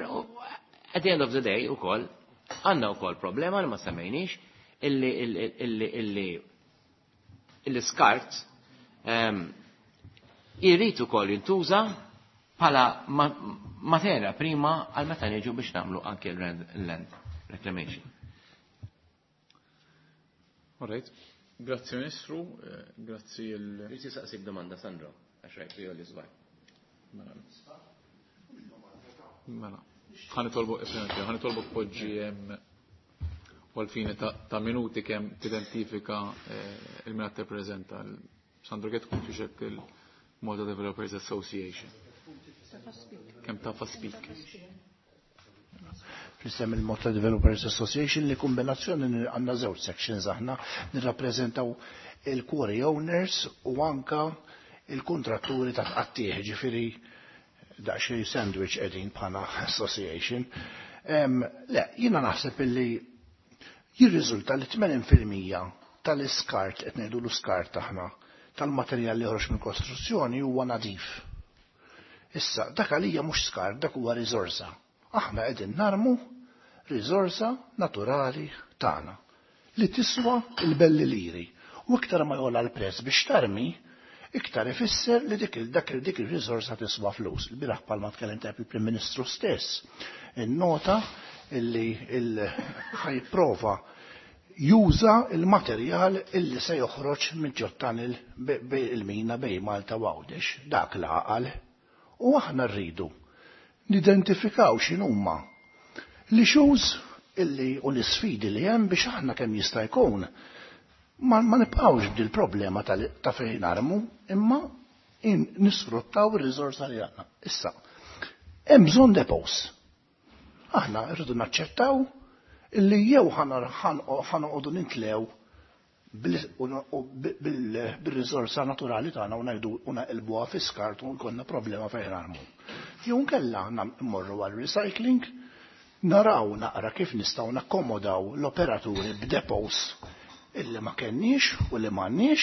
at the end of the day ukoll għandna wkoll problema li ma semmejniex illi illi illi illi skart irrid ukoll jintuża bħala materja prima għal meta niġu biex nagħmlu anke l-land reclamation. All right. Grazzi Ministru, eh, grazzi il. Irrid saqsik domanda, Sandro, għax rajt li li żbaj. Mela. Mela. Ħa nitolbu, ħa nitolbu poġġi u għal-fini ta' minuti kemm tidentifika eh, il-min tippreżenta. Sandro Gatt tkun fiexek il-Malta Developers Association. Kemm tafa speak. Fl-isem il-Malta Developers Association li kombinazzjoni għandna żewġ sections, aħna nirrappreżentaw il-quarry owners u anka il-kontratturi ta' tqattieħ, ġifieri daqsxejn sandwich qegħdin bħala association. Le, jiena naħseb illi jirriżulta li tmenin fil-mija tal-iskart, qed ngħidu l-iskart aħna, tal-materjal li joħroġ minn kostruzzjoni huwa nadif. Issa, dak għalija mhux skart, dak huwa riżorsa. Aħna qegħdin narmu riżorsa naturali tagħna li tiswa il-belli liri. U iktar ma jogħla l-prezz biex tarmi, iktar ifisser li dik dak dik ir-riżorsa tiswa flus. Il-bieraħ palma tkellem tajb il-Prim Ministru stess. In-nota illi ħa jipprova juża il-materjal illi se joħroġ minn ġottan il-mina bejn Malta u Għawdex, dak l-għaqal. U aħna rridu nidentifikaw x'inhuma l-issues illi u l-isfidi li hemm biex aħna kemm jista' jkun ma, ma nibqgħux b'dil problema ta' fejn narmu imma nisfruttaw ir-riżorsa li għandna. Issa, hemm bżonn depots. Aħna rridu naċċettaw illi jew ħa noqogħdu nintlew bil-riżorsa naturali tagħna u ngħidu u naqilbuha fi skart u jkollna problema fejn narmu. Jew nkella mmorru għal recycling, naraw naqra kif nistgħu nakkomodaw l-operaturi b'depots illi ma kenniex u li m'għandniex,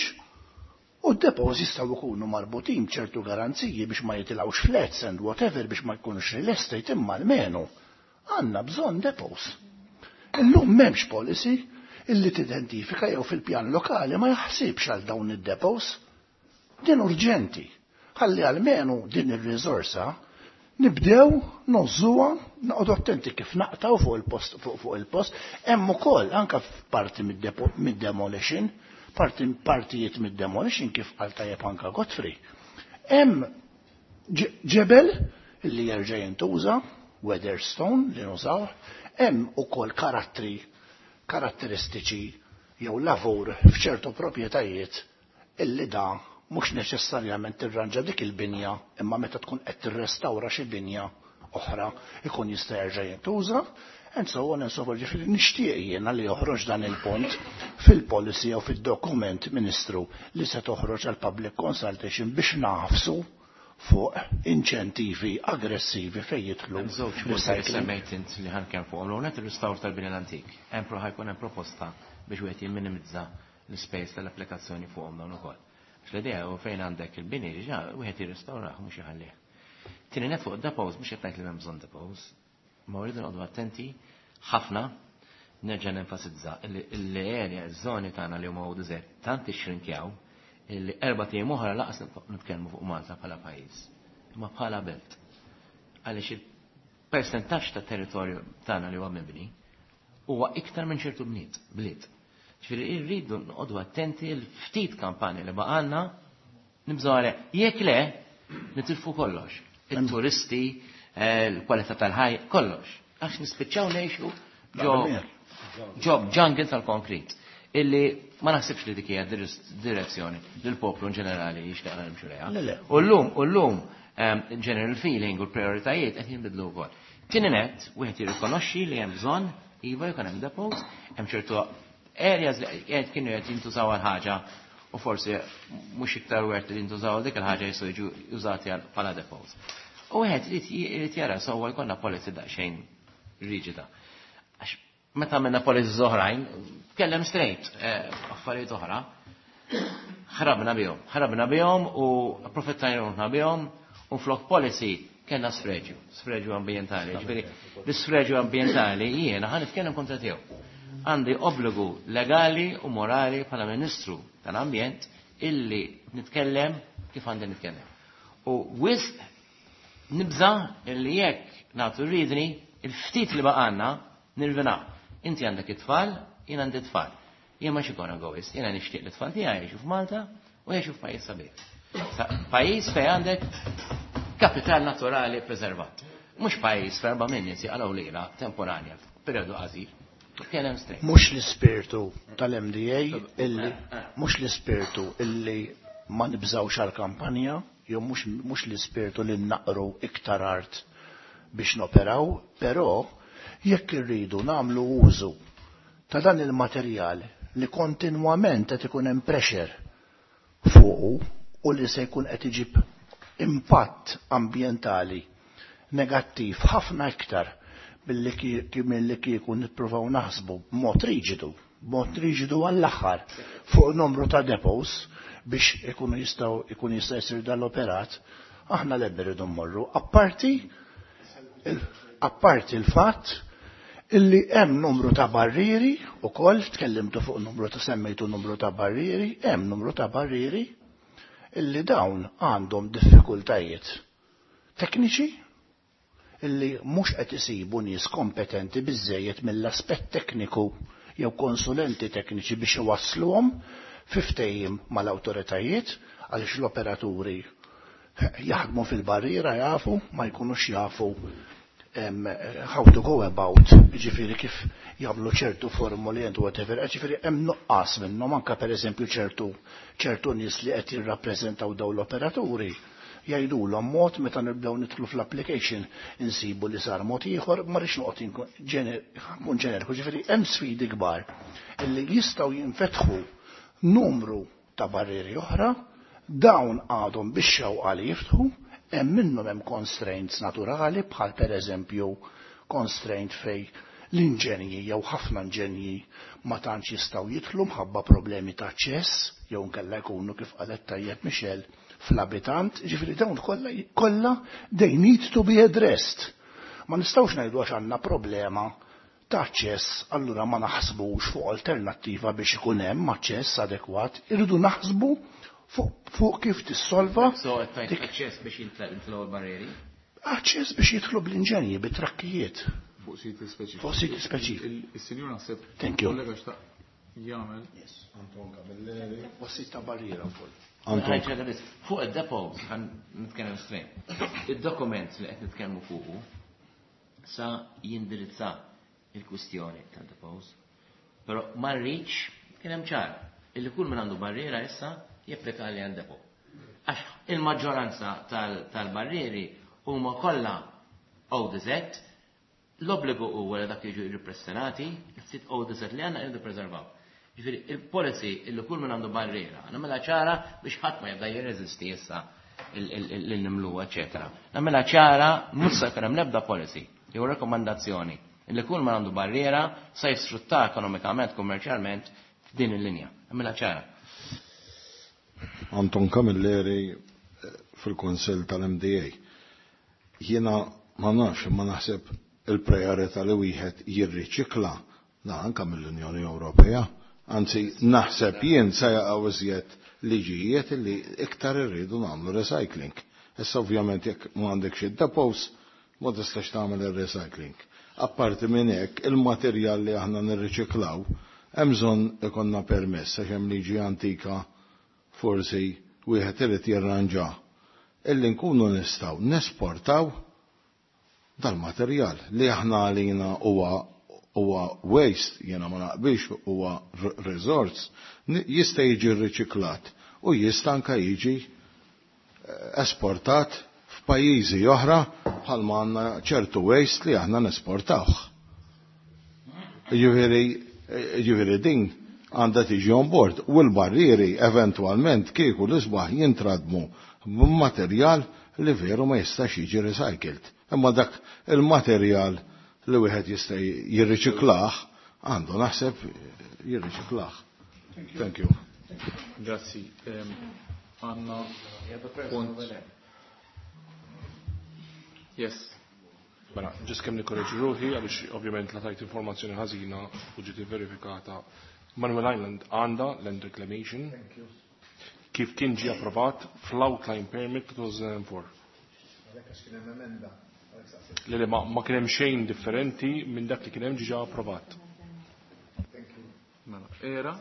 u d-depots jistgħu jkunu marbutin b'ċertu garanziji biex ma jitilgħux flats and whatever, biex ma jkunux real estate, imma almenu għandna bżonn depots. Illum m'hemmx policy illi tidentifika jew fil-pjan lokali ma jaħsibx għal dawn id-depots. Din urġenti. Ħalli almenu din ir-riżorsa nibdew nożżuha, noqogħdu attenti kif naqtaw fuq il-post fuq il-post, hemm ukoll anke f'parti mid-demolition, parti partijiet mid-demolition kif qal tajjeb anka Godfrey. Hemm ġebel illi jerġa' jintuża, weatherstone li nużaw, hemm ukoll karattri karatteristiċi jew lavur f'ċertu proprjetajiet illi da mhux neċessarjament tirranġa dik il-binja imma meta tkun qed tirrestawra xi binja oħra ikun jista' jerġa' jintuża and so on and so forth. Ġifieri nixtieq jiena li joħroġ dan il-punt fil-policy jew fid-dokument Ministru li se toħroġ għal public consultation biex nafsu fuq inċentivi aggressivi fejn jidħlu Żewġ punti li recycling. semmejt int li ħankem fuq l il restawr tal-bini l-antik. Hemm pro ħajkun hemm proposta biex wieħed jimminimizza l-ispejs tal-applikazzjoni fuqhom dawn ukoll. Għax l-idea hu fejn għandek il-bini diġà wieħed jirrestawrah mhux iħallih. Tieni net fuq depots mhux qed ngħid li m'hemm bżonn depots, ma rridu noqogħdu attenti ħafna nerġa' nenfasizza li l-area, iż-żoni tagħna li huma deżert tant ixrinkjaw illi erba' ijiem oħra laqas nitkellmu fuq Malta bħala pajjiż, imma bħala belt. Għaliex il-persentaġġ ta' territorju tagħna li huwa mibni huwa iktar minn ċertu bniet, bliet. Ġifieri rridu noqogħdu attenti l-ftit kampanja li baqalna nibżgħu għalih. Jekk le, nitilfu kollox. Il-turisti, eh, l-kwalità tal-ħajja, kollox. Għax nispiċċaw ngħixu ġo ġo jungle tal-konkrit. Illi ma naħsibx li dik hija direzzjoni li l-poplu in ġenerali jixtieq nimxu lejha. Le, le. U llum, u llum ehm, general feeling u l-prioritajiet qed jinbidlu wkoll. Tieni net, wieħed jirrikonoxxi li hemm bżonn iva jkun hemm depots, hemm ċertu areas li qed kienu qed jintużaw għal ħaġa u forsi mhux iktar wert li jintużaw dik il-ħaġa jistgħu jiġu użati għal bħala depots. U wieħed irid irid jara sewwa jkollna policy daqsxejn riġida. Għax meta għamilna policies oħrajn, tkellem straight, eh, affarijiet oħra, ħrabna bihom, ħrabna bihom u approfittajna bihom u flok policy kellna sfreġju, sfreġju ambientali. Ġifieri, l-sfreġju ambientali jiena ħa nitkellem kontra tiegħu. Għandi obbligu legali u morali bħala Ministru tal-Ambjent illi nitkellem kif għandi nitkellem. U wisq nibża illi jekk nagħtu ridni, il-ftit li baqanna nirvina. Inti għandek it-tfal, jien għandi tfal. Jien ma xikon egoist, jiena nixtieq li t-tfal tiegħi jgħixu f'Malta u jgħixu f'pajjiż sabiħ. Sa- Pajjiż fejn għandek kapital naturali preservat. Mhux pajjiż f'erba' minn nies jaqalgħu lira temporanja f'perjodu qasir. Tkellem straight. Mhux l-ispirtu tal-MDA illi mhux l-ispirtu illi ma nibżawx għal-kampanja, jew mhux mhux l-ispirtu li naqru iktar art biex noperaw, però jekk irridu nagħmlu użu ta' dan il-materjal li kontinwament qed ikun hemm pressure fuqu u li se jkun qed iġib impatt ambjentali negattiv ħafna iktar billi ki- milli kieku nippruvaw naħsbu b'mod riġidu, b'mod riġidu għall-aħħar fuq numru ta' depots biex ikunu jistgħu ikun jista' jsir dal-operat, aħna l irridu mmorru. Apparti il- apparti il-fatt illi hemm numru ta' barrieri ukoll tkellimtu fuq numru ta' semmejtu numru ta' barrieri, hemm numru ta' barrieri illi dawn għandhom diffikultajiet tekniċi illi mhux qed isibu nies kompetenti biżejjed mill-aspett tekniku jew konsulenti tekniċi biex iwassluhom fi ftehim mal-awtoritajiet għaliex l-operaturi jaħdmu fil-barriera jafu ma jkunux jafu em, how to go about, ġifiri kif jagħmlu ċertu formuli and whatever, ġifiri hemm nuqqas minnhom anke pereżempju ċertu ċertu nies li qed jirrappreżentaw dawn l-operaturi jgħidulhom mod meta nibdew nidħlu fl-application insibu li sar mod ieħor ma rridx noqgħod inkun ġener- nkun ġeneriku, ġifieri hemm sfidi kbar illi jistgħu jinfetħu numru ta' barrieri oħra, dawn għadhom biex xewqa li jiftħu, hemm minnhom hemm constraints naturali bħal pereżempju constraint fej l-inġenji jew ħafna inġenji ma tantx jistgħu jidħlu mħabba problemi ta' aċċess jew nkella jkunu kif qalet tajjeb Michel fl-abitant, ġifieri dawn kollha kollha they need to be addressed. Ma nistgħux ngħidu għax għandna problema ta' aċċess, allura ma naħsbux fuq alternattiva biex ikun hemm aċċess adekwat, irridu naħsbu fuq fuq kif tissolva So qed tgħid dik aċċess biex jintlgħu l-barrieri. aċċess biex jidħlu bl-inġenji, bit-trakkijiet. Fuq siti speċifiċi. Fuq siti speċifiċi. Il- Il-sinjur naħseb. Thank you. Kollega xtaq jagħmel. Anton Camilleri. U sit ta' barriera wkoll. Anton. Ħajġa biss, Fuq id-depots ħan nitkellem straight. Id-dokument li qed nitkellmu fuqu sa jindirizza il-kwistjoni tad-depots, però ma rridx Kien hemm ċar illi kull min għandu barriera issa japplika għal land depot. Għax il-maġġoranza tal-barrieri huma kollha O D Z, l-obbligu huwa li dak jiġu ripressenati, il-ftit O D Z li għandna irridu preservaw. Ġifieri il-policy illi kull min għandu barriera, nagħmilha ċara biex ħadd ma jibda jirreżisti issa l-nimlu, eċetera. Nagħmilha ċara, mhux se jkun hemm l-ebda policy jew rekomandazzjoni illi kull min għandu barriera se jisfrutta ekonomikament, kummerċjalment f'din il-linja. Nagħmilha ċara. Anton Camilleri, eh, fil-Konsell tal-M D A. Jiena ma nafx, ma naħseb il-priorità li wieħed jirriċikla da anka mill-Unjoni Ewropea. Anzi, naħseb jien se jaqgħu iżjed liġijiet li iktar irridu nagħmlu recycling. Issa ovvjament jekk ma għandek xi depots, ma tistax tagħmel ir-recycling. Apparti minn hekk, il-materjal li aħna nirriċiklaw hemm bżonn ikollna permess għax hemm liġi antika, forsi wieħed irid jirranġa illi nkunu nistgħu nesportaw dal-materjal li aħna għalina huwa huwa waste, jiena ma naqbilx, huwa resource, jista' jiġi riċiklat u jista' anka jiġi eh, esportat f'pajjiżi oħra bħalma għandna ċertu waste li aħna nesportawh. Ġifieri ġifieri din għandha tiġi on board u l-barrieri eventwalment kieku l-isbaħ jintradmu b'materjal li veru ma jistax jiġi recycled. Imma dak il-materjal li wieħed jista' jirriċiklah għandu naħseb jirriċiklah. Thank you. Grazzi. Għandna punt. Yes. Mela, ġis kemm nikkoreġi ruħi għaliex ovvjament la tajt informazzjoni ħażina u ġiet verifikata. Manuel Island għandha land reclamation kif kien ġie approvat fl-outline permit two thousand four. Le, le, ma, ma kien hemm xejn differenti minn dak li kien hemm ġiġa approvat. Mela, era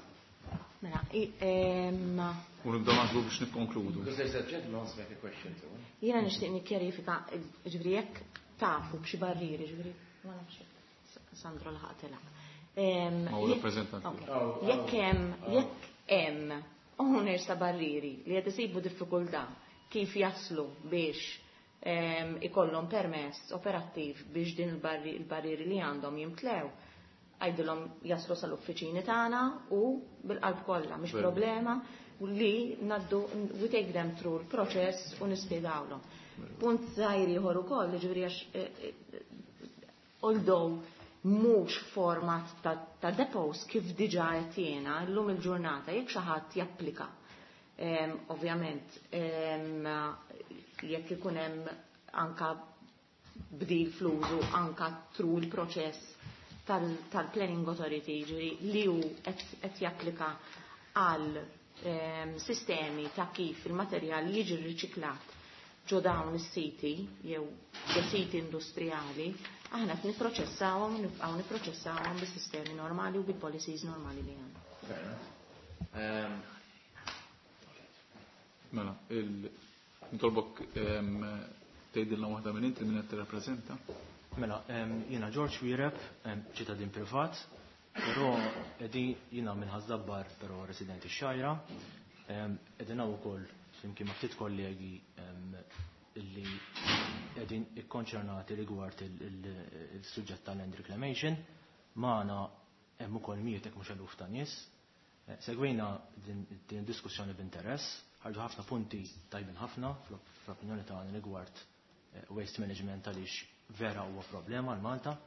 Mela, i- em, u nibdew naħsbu biex nikkonkludu. Because there's a gentleman wants to make a question too. Jiena nixtieq nikkjarifika, ġifieri jekk tafu b'xi barrieri, ġifieri, ma nafx jekk Sandro laħaq telaq. Em, Ma hu jekk- rappreżentant. Ok. Jekk hemm jekk hemm owners ta' barrieri li qed isibu diffikultà kif jaslu biex em, ikollhom permess operattiv biex din il-barri- il-barrieri li għandhom jimtlew, għajdilhom jaslu sal-uffiċini tagħna u bil-qalb kollha, mhix Veru. problema li naddu, we take them through l-proċess u nispjegawlhom. Punt żgħir ieħor ukoll, ġifieri għax eh, eh, although mhux format ta', ta' depots kif diġà qed jiena llum il-ġurnata jekk xi ħadd japplika. Em, ovvjament em, jekk ikun hemm anka bdil fl-użu anka through il-proċess tal-Planning Authority, ġifieri li hu qed japplika għal em, sistemi ta' kif il-materjal jiġi riċiklat ġo dawn is-siti jew ġo siti industrijali, aħna qed nipproċessawhom, nibqgħu nipproċessawhom bis-sistemi normali u bil-policies normali li għandna. Fair enough. Um, Mela, il nitolbok em, tgħidilna waħda minn inti, minn qed tirrappreżenta. Mela, em, jiena George Wireb, em, ċittadin privat, però edi jiena minn Ħaż-Żabbar, però residenti x-Xgħajra. Em, Qegħdin hawn ukoll flimkien ma' ftit kollegi em, illi qegħdin ikkonċernati rigward il- il- il-suġġett tal-land reclamation. Magħna hemm ukoll mijiet jekk mhux eluf ta' nies. Eh, Segwejna din din id-diskussjoni b'interess, ħarġu ħafna punti tajbin ħafna fl-opinjoni tagħna rigward eh, waste management, għaliex vera huwa problema għal Malta.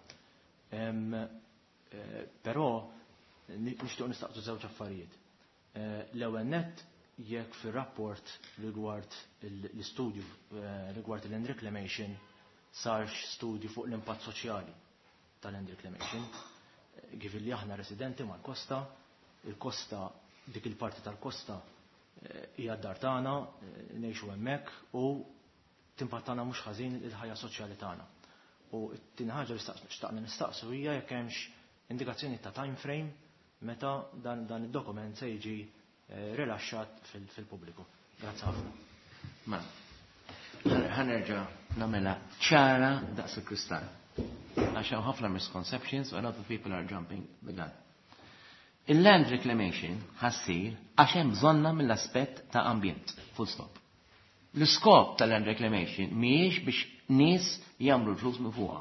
Em, eh, Però ni- nixtieq nistaqsu żewġ affarijiet. Eh, L-ewwel nett, jekk fir-rapport rigward il- l-istudju eh, rigward il-land reclamation sarx studju fuq l-impatt soċjali tal-land reclamation. Eh, Kif li aħna residenti mal-kosta, il-kosta, dik il-parti tal-kosta eh, hija d-dar tagħna, eh, ngħixu hemmhekk u timpattana mhux ħażin il-ħajja soċjali tagħna. U t-tieni ħaġa li staqs- xtaqna nistaqsu hija jekk hemmx indikazzjoni ta' time frame meta dan, dan id-dokument se jiġi eh, rilaxxat fil- fil-pubbliku. Grazzi ħafna. Ma, ħa nerġa' nagħmilha ċara daqs il-kristall. Għax hawn ħafna misconceptions and other people are jumping the gun. Il-land reclamation ħa ssir għax hemm bżonnha mill-aspett ta' ambjent, full stop. L-iskop tal-land reclamation mhijiex biex nies jagħmlu l-flus minn fuqha.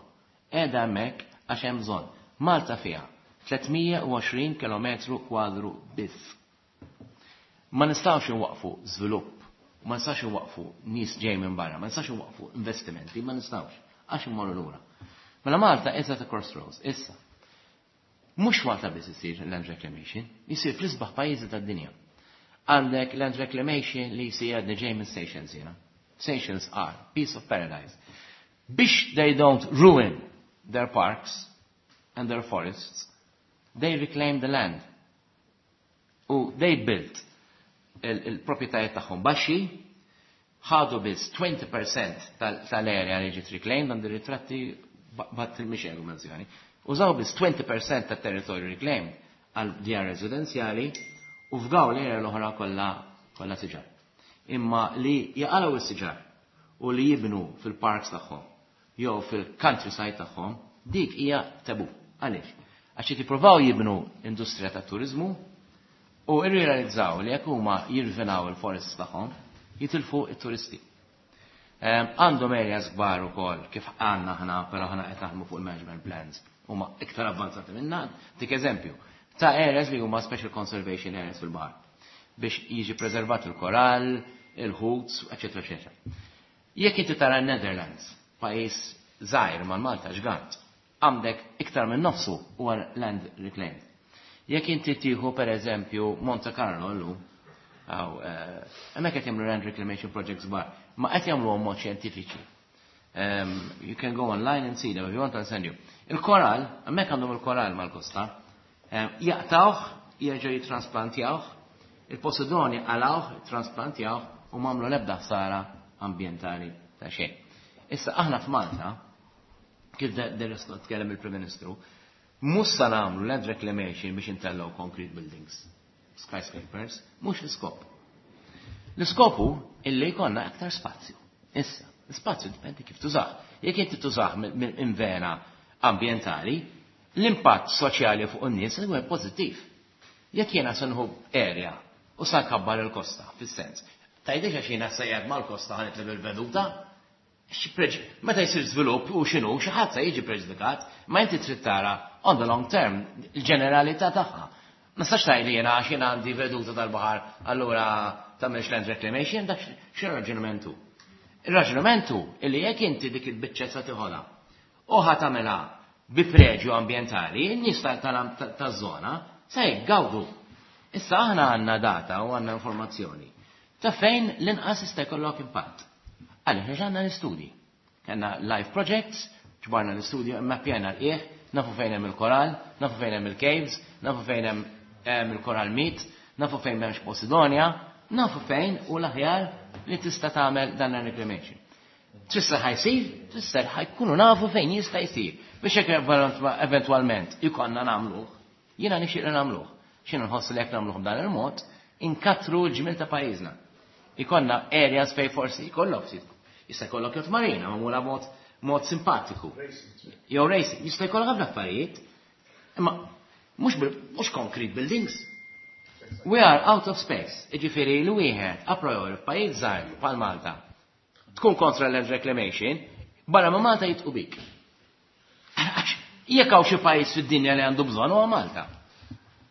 Qiegħda hemmhekk għax hemm bżonn. Malta fiha tliet mija u għoxrin kilometru kwadru biss. Ma nistgħux inwaqfu żvilupp, ma nistgħux inwaqfu nies ġej minn barra, ma nistgħux inwaqfu investimenti, ma nistgħux għax immorru lura. Mela Malta is at a crossroads, issa. Mhux Malta biss isir land reclamation, jisir fl-isbaħ pajjiżi tad-dinja. Għandek land reclamation li jsir, għadni ġej minn Seychelles jiena. Seychelles are piece of paradise. Biex they don't ruin their parks and their forests, they reclaim the land. U they built il-propietajiet tagħhom baxxi, ħadu biss għoxrin fil-mija tal-area li ġiet reclaimed, għandi ritratti bat il-mixel menzjoni. Użaw biss għoxrin fil-mija tat-territorju reclaimed għal djar residenzjali u fgaw l-area l-oħra kollha kollha siġar. Imma li jaqalgħu s-siġar u li jibnu fil-parks tagħhom jew fil-countryside tagħhom, dik hija tabu. Għaliex? Għax jippruvaw jibnu industrija ta' turizmu u irrealizzaw li jekk huma jirvinaw il-forests tagħhom, jitilfu it-turisti. Għandhom areas kbar ukoll kif għandna aħna, però aħna qed naħdmu fuq il-management plans huma iktar avvanzati minna, dik eżempju, ta' areas li huma special conservation areas fil-baħar biex jiġi preservat il-korall, il-ħut, eċetera, eċetera. Jekk inti tara Netherlands, pajjiż żgħir ma' Malta ġgant, għandek iktar minn nofsu huwa land reclaimed. Jekk inti tieħu, per eżempju, Monte Carlo llum, hemmhekk qed jagħmlu land reclamation projects kbar, ma qed jagħmluhom mod xjentifiċi. Um, you can go online and see them if you want, I'll send you. Il-koral, hemmhekk għandhom il-koral mal-kosta, um, jaqtawh, jerġgħu jitransplantjawh, il-Posidoni qalgħuh, transplantjawh u m'għamlu l-ebda ħsara ambjentali ta' xejn. Issa aħna f'Malta, kif der tkellem il-Prim Ministru, mhux sa nagħmlu land reclamation biex intellgħu concrete buildings, skyscrapers, mhux l-iskop. L-iskopu illi jkollna aktar spazju. Issa, l-spazju dipendi kif tużah. Jekk inti tużah minn vena ambientali, l-impatt soċjali fuq in-nies huwa pożittiv. Jekk jiena se nieħu area u sa nkabbar il-kosta, fis-sens. Tgħidix għax jiena sejjed mal-kosta ħa nitlef il-veduta, meta jsir żvilupp u x'inhu, xi ħadd se jiġi preġudikat, ma inti trid tara on the long term il-ġeneralità tagħha. Ma nistax tgħidli jiena għax jiena għandi veduta tal-baħar, allura tagħmilx land reclamation, dak xi raġunamentu. Ir-raġunamentu illi jekk inti dik il-biċċa sa tiħodha u ħa tagħmilha bi preġju ambjentali, in-nies taż-żona se jgawdu. Issa aħna għandna data u għandna informazzjoni ta' fejn l-inqas jista' jkollok impatt. Għaliex għandna l-istudji. Kellna live projects, ġbarna l-istudju, mappjana l-qiegħ, nafu fejn hemm il-koral, nafu fejn hemm il-caves, nafu fejn hemm il-coral meat, nafu fejn m'hemmx Posidonia, nafu fejn u l-aħjar li tista' tagħmel dan il-reclamation. Tista' ħa jsir, tista' ħa jkunu nafu fejn jista' jsir. Biex jekk eventwalment ikonna nagħmluh, jiena nixtieq li nagħmluh. X'inhu nħoss li jekk nagħmluh b'dan il-mod, inkattru l-ġmil ta' pajjiżna. Ikonna areas fej forsi jkollok jista' jkollok yacht marina magħmula mod mod simpatiku. Jew racing, jista' jkollok ħafna affarijiet. Imma mhux mhux concrete buildings. We are out of space. Iġifieri li wieħed a priori f'pajjiż żgħir bħal Malta tkun kontra land reclamation, barra ma Malta jidħku bik. Jekk hawn xi pajjiż fid-dinja li għandu bżonn, huwa Malta.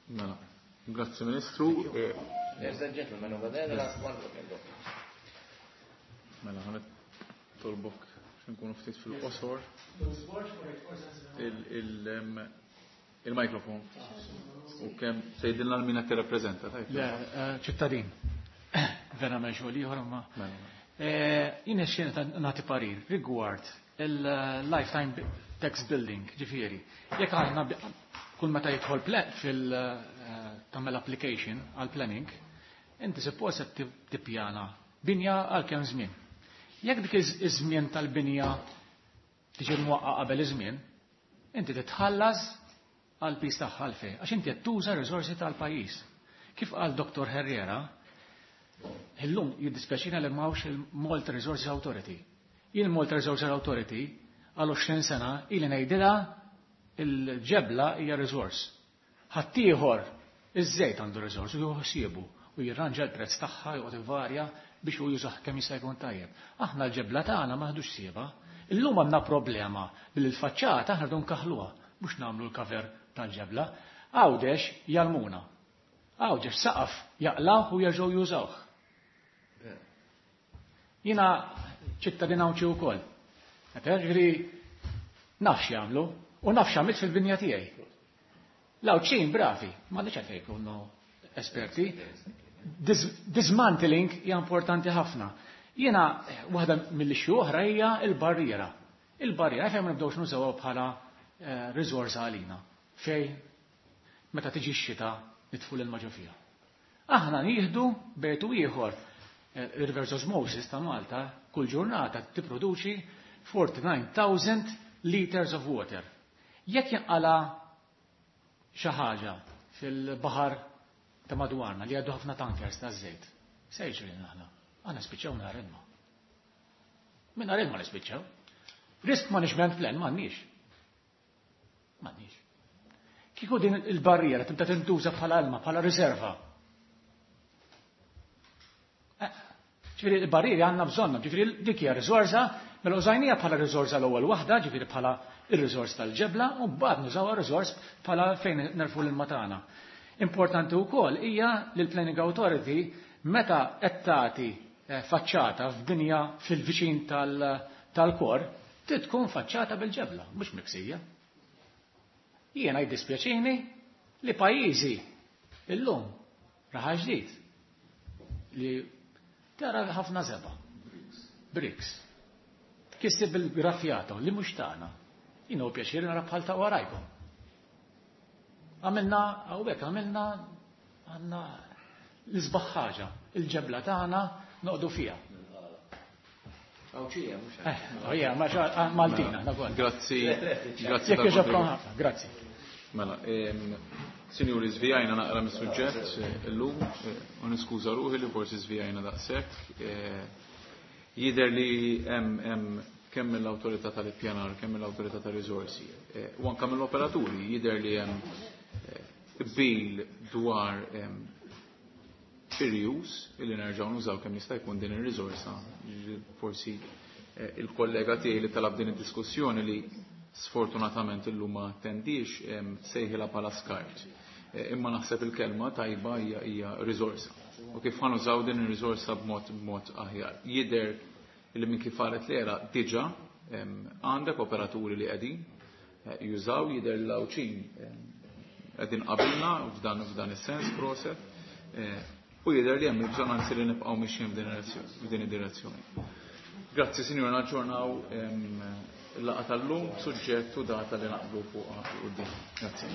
Mela, grazzi, Ministru. There's a gentleman over there, the last one. Mela, ħa nitolbok nkunu ftit fil-qosor. Il-mikrofon. U kemm tgħidilna lil min qed tirrappreżenta, tajt? Le, ċittadin. Vera xogħol ieħor ma. Jien xejn nagħti parir rigward il-lifetime tax building, ġifieri. Jekk aħna kull meta jidħol fil tagħmel application għal planning, inti suppost qed tippjana binja għal kemm żmien. Jekk dik iż-żmien tal-binja tiġi mwaqqa qabel iż-żmien, inti titħallas għal piż tagħha għalfejn, għax inti qed tuża riżorsi tal-pajjiż. Kif qal Dottor Herrera, illum jiddispjaċina li m'hawnx il-Malta Resources Authority. Jien Malta Resources Authority għal għoxrin sena ili ngħidilha il-ġebla hija resource. Ħaddieħor Iż-żejt għandu riżorsi u jieħu u jirranġa l-prezz tagħha joqgħod ivarja biex hu jużah kemm jista' jkun tajjeb. Aħna l-ġebla tagħna ma ħdux sieba. Illum għandna problema billi l-faċċata aħna rridu nkaħluha mhux nagħmlu l-cover tal-ġebla. Għawdex jgħallmuna. Għawdex saqaf jaqlawh u jerġgħu jużawh. Jiena ċittadin Għawdxi wkoll. Ġifieri naf x'jagħmlu u naf x'għamilt fil-binja tiegħi. L-Għawdxin bravi, ma nix għalfejn jkunu esperti. Dis dismantling hija importanti ħafna. Jiena waħda mill-issue oħra hija il-barriera. Il-barriera fejn ma nibdewx nużawha bħala eh, riżorsa għalina. Fej meta tiġi x-xita nitfu l-ilma ġo fiha. Aħna nieħdu bejtu ieħor eh, reverse osmosis ta' Malta kull ġurnata tipproduċi forty-nine thousand liters of water. Jekk jinqala xi ħaġa fil-baħar ta' madwarna li għaddu ħafna tankers ta' żejt, se jiġri aħna? Aħna spiċċaw mingħajr ilma. Mingħajr ilma nispiċċaw. Risk management plan m'għandniex. M'għandniex. Kieku din il-barriera tibda tintuża bħala ilma, bħala riserva. Eh, ġifieri il-barrieri għandna bżonna, ġifieri dik hija riżorsa, mela użajnija bħala riżorsa l-ewwel waħda, ġifieri bħala ir-riżors tal-ġebla, u mbagħad nużawha riżors bħala fejn nerfu l-ilma tagħna. Importanti wkoll hija li l-Planning Authority meta qed tagħti eh, faċċata f'binja fil-viċin tal-kor, trid tkun faċċata bil-ġebla, mhux miksija. Jiena jiddispjaċini li pajjiżi illum Raħal Ġdid li tara ħafna żebgħa. Bricks. Kissi bil-grafjata li mhux tagħna. Jiena hu pjaċir nara bħal ta' warajkom. Għamilna, hawnhekk għamilna għandna l-isbaħ ħaġa, il-ġebla tagħna noqdu fiha. Għawdxija, mhux Eh, oh yeah, ma xa- Maltina, nagħol. Grazzi. Grazzi Jekk jogħġobkom tal-kontribut. ħafna, grazzi. Mela, em, sinjuri, żvijajna naqra mis-suġġett eh, illum, eh, u niskuża ruħi li forsi żvijajna daqshekk. Eh, Jidher li hemm hemm kemm mill-awtorità tal-ippjanar, kemm mill-awtorità tal-riżorsi, eh, u anke mill-operaturi jidher li hemm eh, qbil dwar em, ir-reuse illi nerġgħu nużaw kemm jista' jkun din ir-riżorsa. Forsi eh, il-kollega tiegħi li talab din id-diskussjoni li sfortunatament illum ma attendix em, sejħilha bħala skart. Eh, Imma naħseb il-kelma tajba hija hija riżorsa. U kif ħa nużaw din ir-riżorsa b'mod b'mod aħjar. Jidher li minn kif qalet l-era diġà em, għandek operaturi li qegħdin eh, jużaw, jidher l-Għawdxin em, qegħdin qabilna f'dan f'dan is-sens, proset. Eh, U jidher li hemm il-bżonn anzi li nibqgħu mixjin f'din id-direzzjoni- f'din id-direzzjoni. Grazzi, sinjura, naġġornaw em, il-laqgħa tal-lum, suġġett u data li naqblu fuq quddiem. Grazzi.